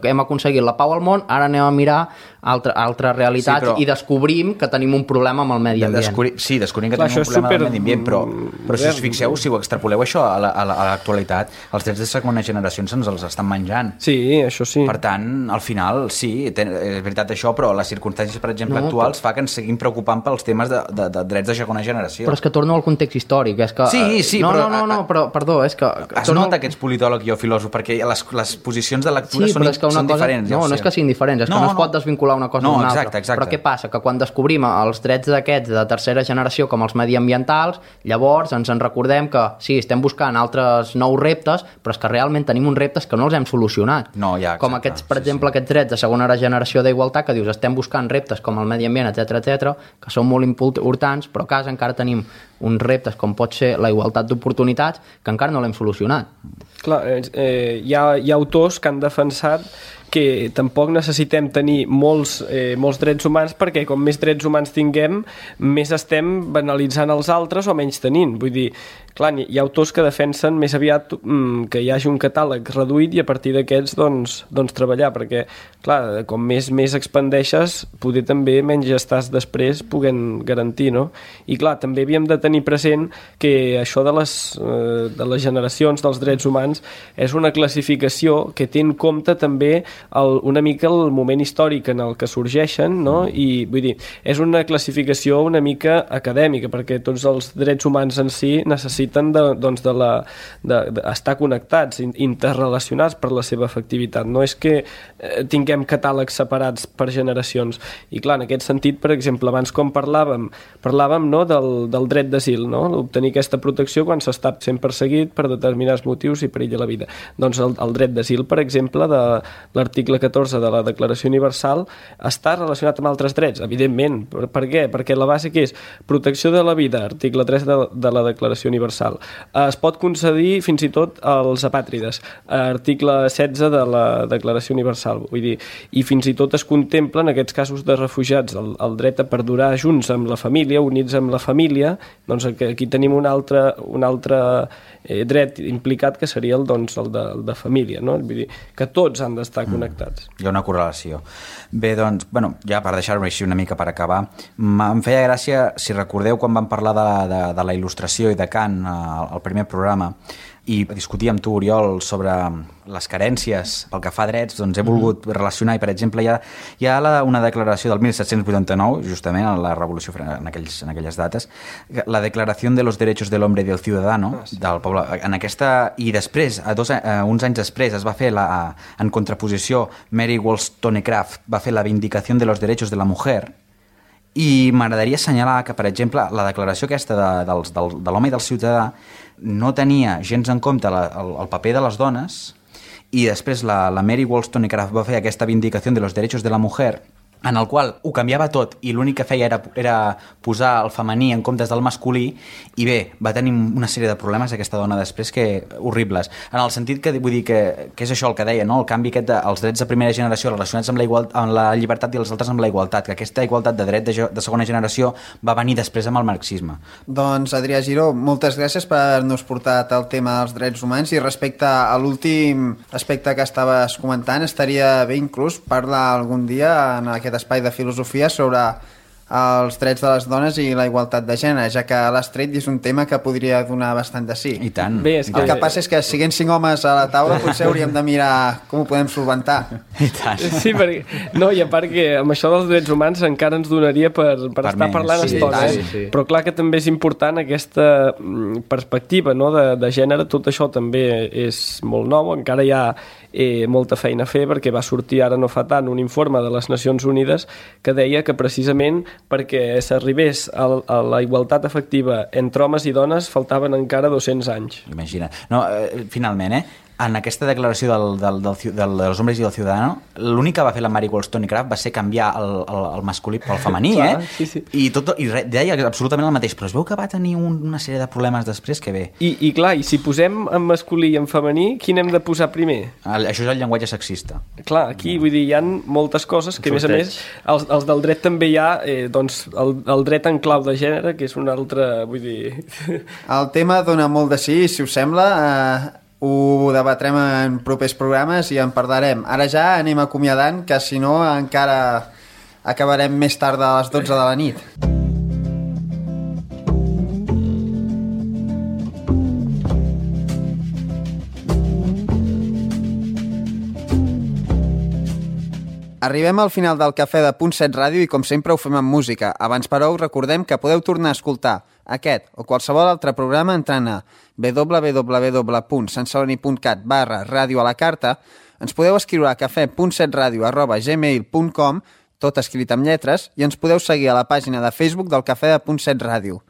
hem aconseguit la pau al món, ara anem a mirar altra, altres realitats sí, però... i descobrim que tenim un problema amb el medi ambient. Descobri... Sí, descobrim que Clar, tenim un problema super... amb el medi ambient, però, però si us fixeu, si ho extrapoleu això a l'actualitat, la, a els drets de segona generació se'ns els estan menjant. Sí, això sí. Per tant, al final, sí, ten, és veritat això, però les circumstàncies, per exemple, no, actuals però... fa que ens seguim preocupant pels temes de, de, de drets de segona generació. Però és que torno al context històric. És que, sí, sí, no, però... No, no, no, però, perdó, és que... Es torno... nota que ets politòleg i jo filòsof, perquè les, les posicions de lectura sí, són, és que una són cosa... diferents. No, ja no és que siguin diferents, és no, que no es pot desvincular una cosa no, d'una exacte, altra. Exacte. Però què passa? Que quan descobrim els drets d'aquests de tercera generació com els mediambientals, llavors ens en recordem que sí, estem buscant altres nous reptes, però és que realment tenim uns reptes que no els hem solucionat. No, ja, exacte, com aquests, per sí, exemple, sí. aquests drets de segona generació d'igualtat, que dius, estem buscant reptes com el medi ambient, etcètera, etcètera, que són molt importants, però a casa encara tenim uns reptes com pot ser la igualtat d'oportunitats que encara no l'hem solucionat. Clar, eh, hi, ha, hi ha autors que han defensat que tampoc necessitem tenir molts, eh, molts drets humans perquè com més drets humans tinguem, més estem banalitzant els altres o menys tenint. Vull dir, clar, hi ha autors que defensen més aviat mm, que hi hagi un catàleg reduït i a partir d'aquests doncs, doncs treballar, perquè clar, com més més expandeixes, poder també menys estàs després puguent garantir, no? I clar, també havíem de tenir present que això de les, eh, de les generacions dels drets humans és una classificació que té en compte també el, una mica el moment històric en el que sorgeixen, no? I vull dir, és una classificació una mica acadèmica, perquè tots els drets humans en si necessiten de, doncs de la, de, de estar connectats, interrelacionats per la seva efectivitat. No és que eh, tinguem catàlegs separats per generacions. I clar, en aquest sentit, per exemple, abans com parlàvem, parlàvem no, del, del dret d'asil, no? Obtenir aquesta protecció quan s'està sent perseguit per determinats motius i perill a la vida. Doncs el, el dret d'asil, per exemple, de l'article catorze de la Declaració Universal està relacionat amb altres drets, evidentment. Per, per què? Perquè la base que és protecció de la vida, article tres de, de la Declaració Universal. Es pot concedir fins i tot als apàtrides, article setze de la Declaració Universal. Vull dir, i fins i tot es contempla en aquests casos de refugiats el, el dret a perdurar junts amb la família, units amb la família, doncs aquí tenim un altre, un altre eh, dret implicat que seria el, doncs, el, de, el de família, no? Vull dir, que tots han d'estar connectats. Hi ha una correlació. Bé, doncs, bueno, ja per deixar-ho així una mica per acabar, em feia gràcia, si recordeu quan vam parlar de, de, de la il·lustració i de Kant al primer programa, i discutir amb tu, Oriol, sobre les carències pel que fa a drets, doncs he volgut mm-hmm. relacionar, i per exemple hi ha, hi ha la, una declaració del disset vuitanta-nou, justament, a la Revolució en, aquells, en aquelles dates, la Declaració de los Derechos del Hombre y del Ciudadano, ah, sí. del poble. En aquesta, i després, a dos, a, uns anys després, es va fer, la, en contraposició, Mary Wollstonecraft va fer la Vindicació de los Derechos de la Mujer, i m'agradaria assenyalar que, per exemple, la declaració aquesta de, de, de, de l'home i del ciutadà no tenia gens en compte la, el, el paper de les dones, i després la, la Mary Wollstonecraft va fer aquesta Vindicació de los Derechos de la Mujer, en el qual ho canviava tot i l'únic que feia era, era posar el femení en comptes del masculí, i bé, va tenir una sèrie de problemes aquesta dona després que horribles, en el sentit que vull dir que, que és això el que deia, no? El canvi aquest dels drets de primera generació relacionats amb la, igual, amb la llibertat i els altres amb la igualtat, que aquesta igualtat de dret de, de segona generació va venir després amb el marxisme. Doncs Adrià Giró, moltes gràcies per haver-nos portat el tema dels drets humans, i respecte a l'últim aspecte que estaves comentant, estaria bé inclús parlar algun dia en aquest espai de filosofia sobre els drets de les dones i la igualtat de gènere, ja que l'has tret i és un tema que podria donar bastant de sí. I tant. Bé, és que... El que passa és que siguent cinc homes a la taula potser hauríem de mirar com ho podem solventar. I tant. Sí, perquè... No, i a part que amb això dels drets humans encara ens donaria per, per, per estar més. parlant sí, estona, eh? sí, sí. Però clar que també és important aquesta perspectiva, no?, de, de gènere. Tot això també és molt nou, encara hi ha eh, molta feina a fer, perquè va sortir ara no fa tant un informe de les Nacions Unides que deia que precisament perquè s'arribés a, a la igualtat efectiva entre homes i dones faltaven encara dos-cents anys. Imagina. No, eh, finalment, eh? En aquesta declaració del, del, del, del, dels hombres i del ciudadano, l'únic que va fer la Mary Wollstonecraft va ser canviar el, el, el masculí pel femení, Clar, eh? Sí, sí. I, tot, i re, deia absolutament el mateix, però es veu que va tenir un, una sèrie de problemes després que bé. I, I clar, i si posem en masculí i en femení, quin hem de posar primer? El, això és el llenguatge sexista. Clar, aquí, vull dir, hi ha moltes coses que, a més a més, els, els del dret també hi ha, eh, doncs, el, el dret en clau de gènere, que és un altre, vull dir... El tema dona molt de sí, si us sembla... Eh... ho debatrem en propers programes i en parlarem. Ara ja anem acomiadant, que si no encara acabarem més tard a les dotze de la nit. Arribem al final del Cafè de Punt set Ràdio i com sempre ho fem amb música. Abans però us recordem que podeu tornar a escoltar aquest o qualsevol altre programa entrant a w w w punt sant celoni punt cat barra ràdio a la carta. Ens podeu escriure a cafè punt set ràdio arroba gmail punt com, tot escrit amb lletres, i ens podeu seguir a la pàgina de Facebook del Cafè de Punt set Ràdio.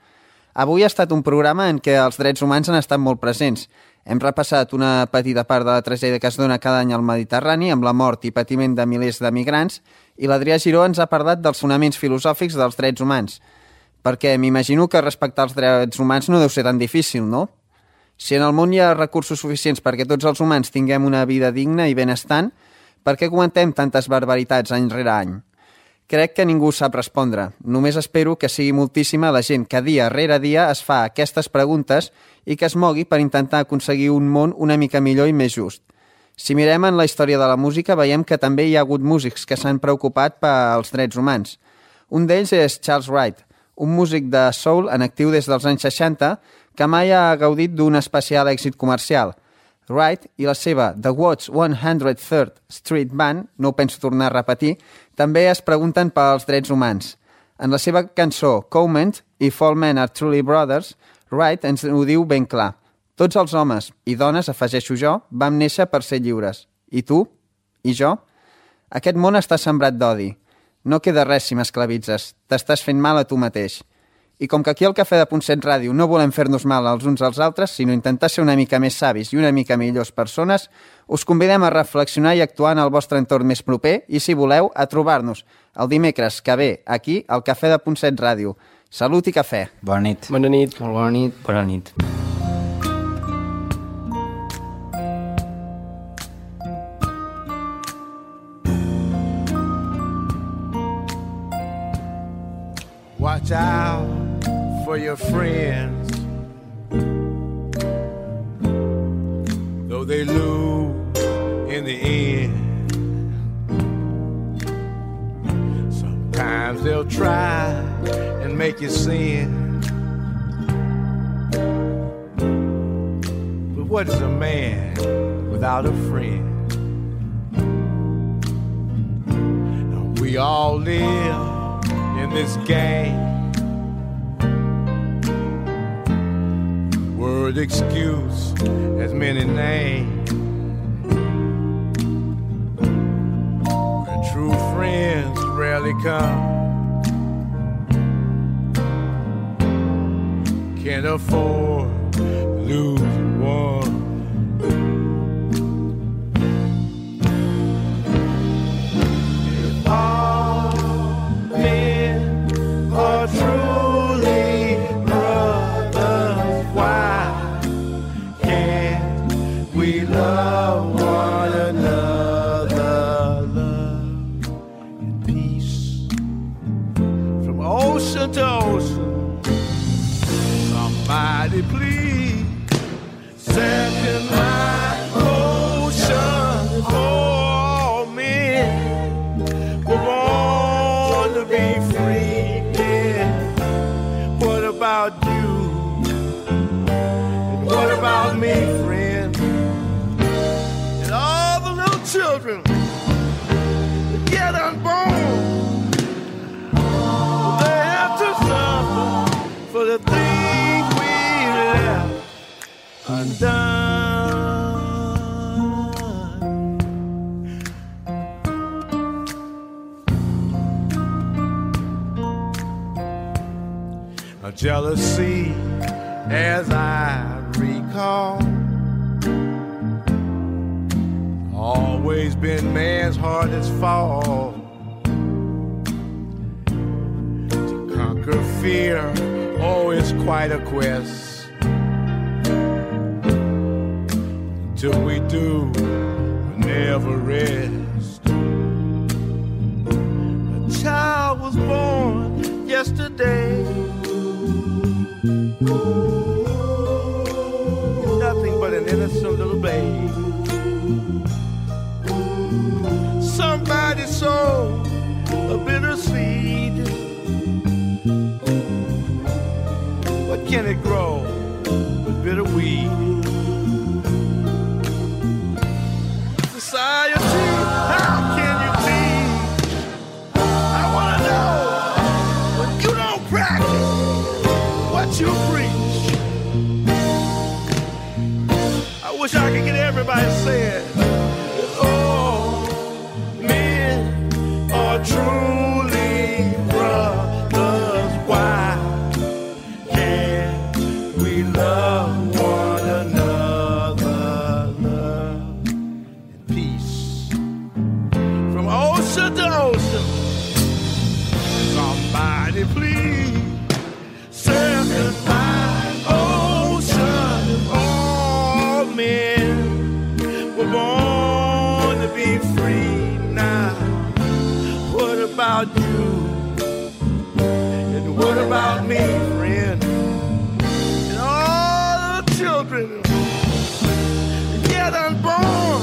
Avui ha estat un programa en què els drets humans han estat molt presents. Hem repassat una petita part de la tragèdia que es dona cada any al Mediterrani amb la mort i patiment de milers de migrants, i l'Adrià Giró ens ha parlat dels fonaments filosòfics dels drets humans. Perquè m'imagino que respectar els drets humans no deu ser tan difícil, no? Si en el món hi ha recursos suficients perquè tots els humans tinguem una vida digna i benestant, per què comentem tantes barbaritats any rere any? Crec que ningú sap respondre. Només espero que sigui moltíssima la gent que dia rere dia es fa aquestes preguntes i que es mogui per intentar aconseguir un món una mica millor i més just. Si mirem en la història de la música, veiem que també hi ha hagut músics que s'han preocupat pels drets humans. Un d'ells és Charles Wright, un músic de soul en actiu des dels anys seixanta que mai ha gaudit d'un especial èxit comercial. Wright i la seva The Watts one hundred third Street Band, no ho penso tornar a repetir, també es pregunten pels drets humans. En la seva cançó Comment, If All Men Are Truly Brothers, Wright ens ho diu ben clar. Tots els homes i dones, afegeixo jo, vam néixer per ser lliures. I tu? I jo? Aquest món està sembrat d'odi. No queda res si m'esclavitzes. T'estàs fent mal a tu mateix. I com que aquí al Cafè de Punt set Ràdio no volem fer-nos mal els uns als altres, sinó intentar ser una mica més savis i una mica millors persones, us convidem a reflexionar i actuar en el vostre entorn més proper i, si voleu, a trobar-nos el dimecres que ve aquí al Cafè de Punt set Ràdio. Salut i cafè. Bona nit. Bona nit. Molt bona nit. Bona nit. Watch out for your friends, though they lose in the end. Sometimes they'll try and make you sin, but what is a man without a friend? Now, we all live in this game. Word excuse has many names. Where true friends rarely come. Can't afford to lose one. If all me, friend? And all the little children that get unborn, they have to suffer for the things we left undone. A jealousy, as I recall, always been man's hardest fall. To conquer fear, oh, it's quite a quest. Until we do, we'll never rest. A child was born yesterday, nothing but an innocent little babe. Somebody sowed a bitter seed. What can it grow but bitter weed? Society, how can you be? I wanna know when you don't practice what you preach. I wish I could get everybody saying, oh, men are truly brothers. Why can't we love one another? Love and peace from ocean to ocean. Somebody please send my ocean. All men were born to be free now. What about you? And what about me, friend? And all the children get unborn,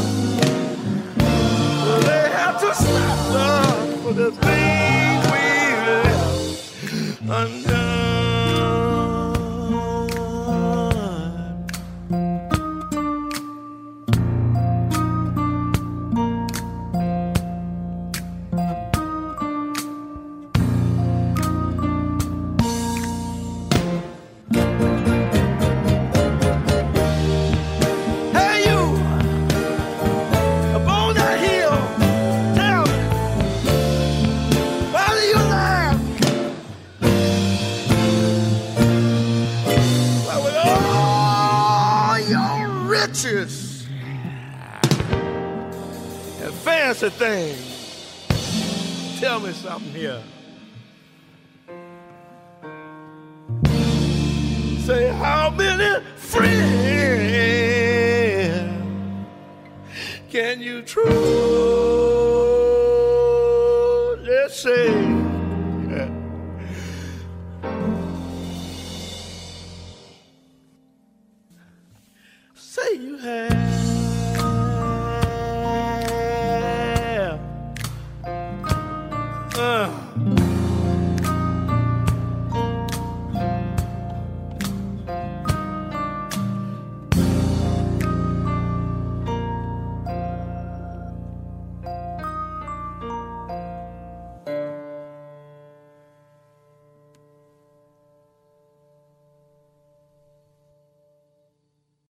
they have to stop love for the things we left undone. And fancy things. Tell me something here. Say, how many friends can you truly say? Say you have.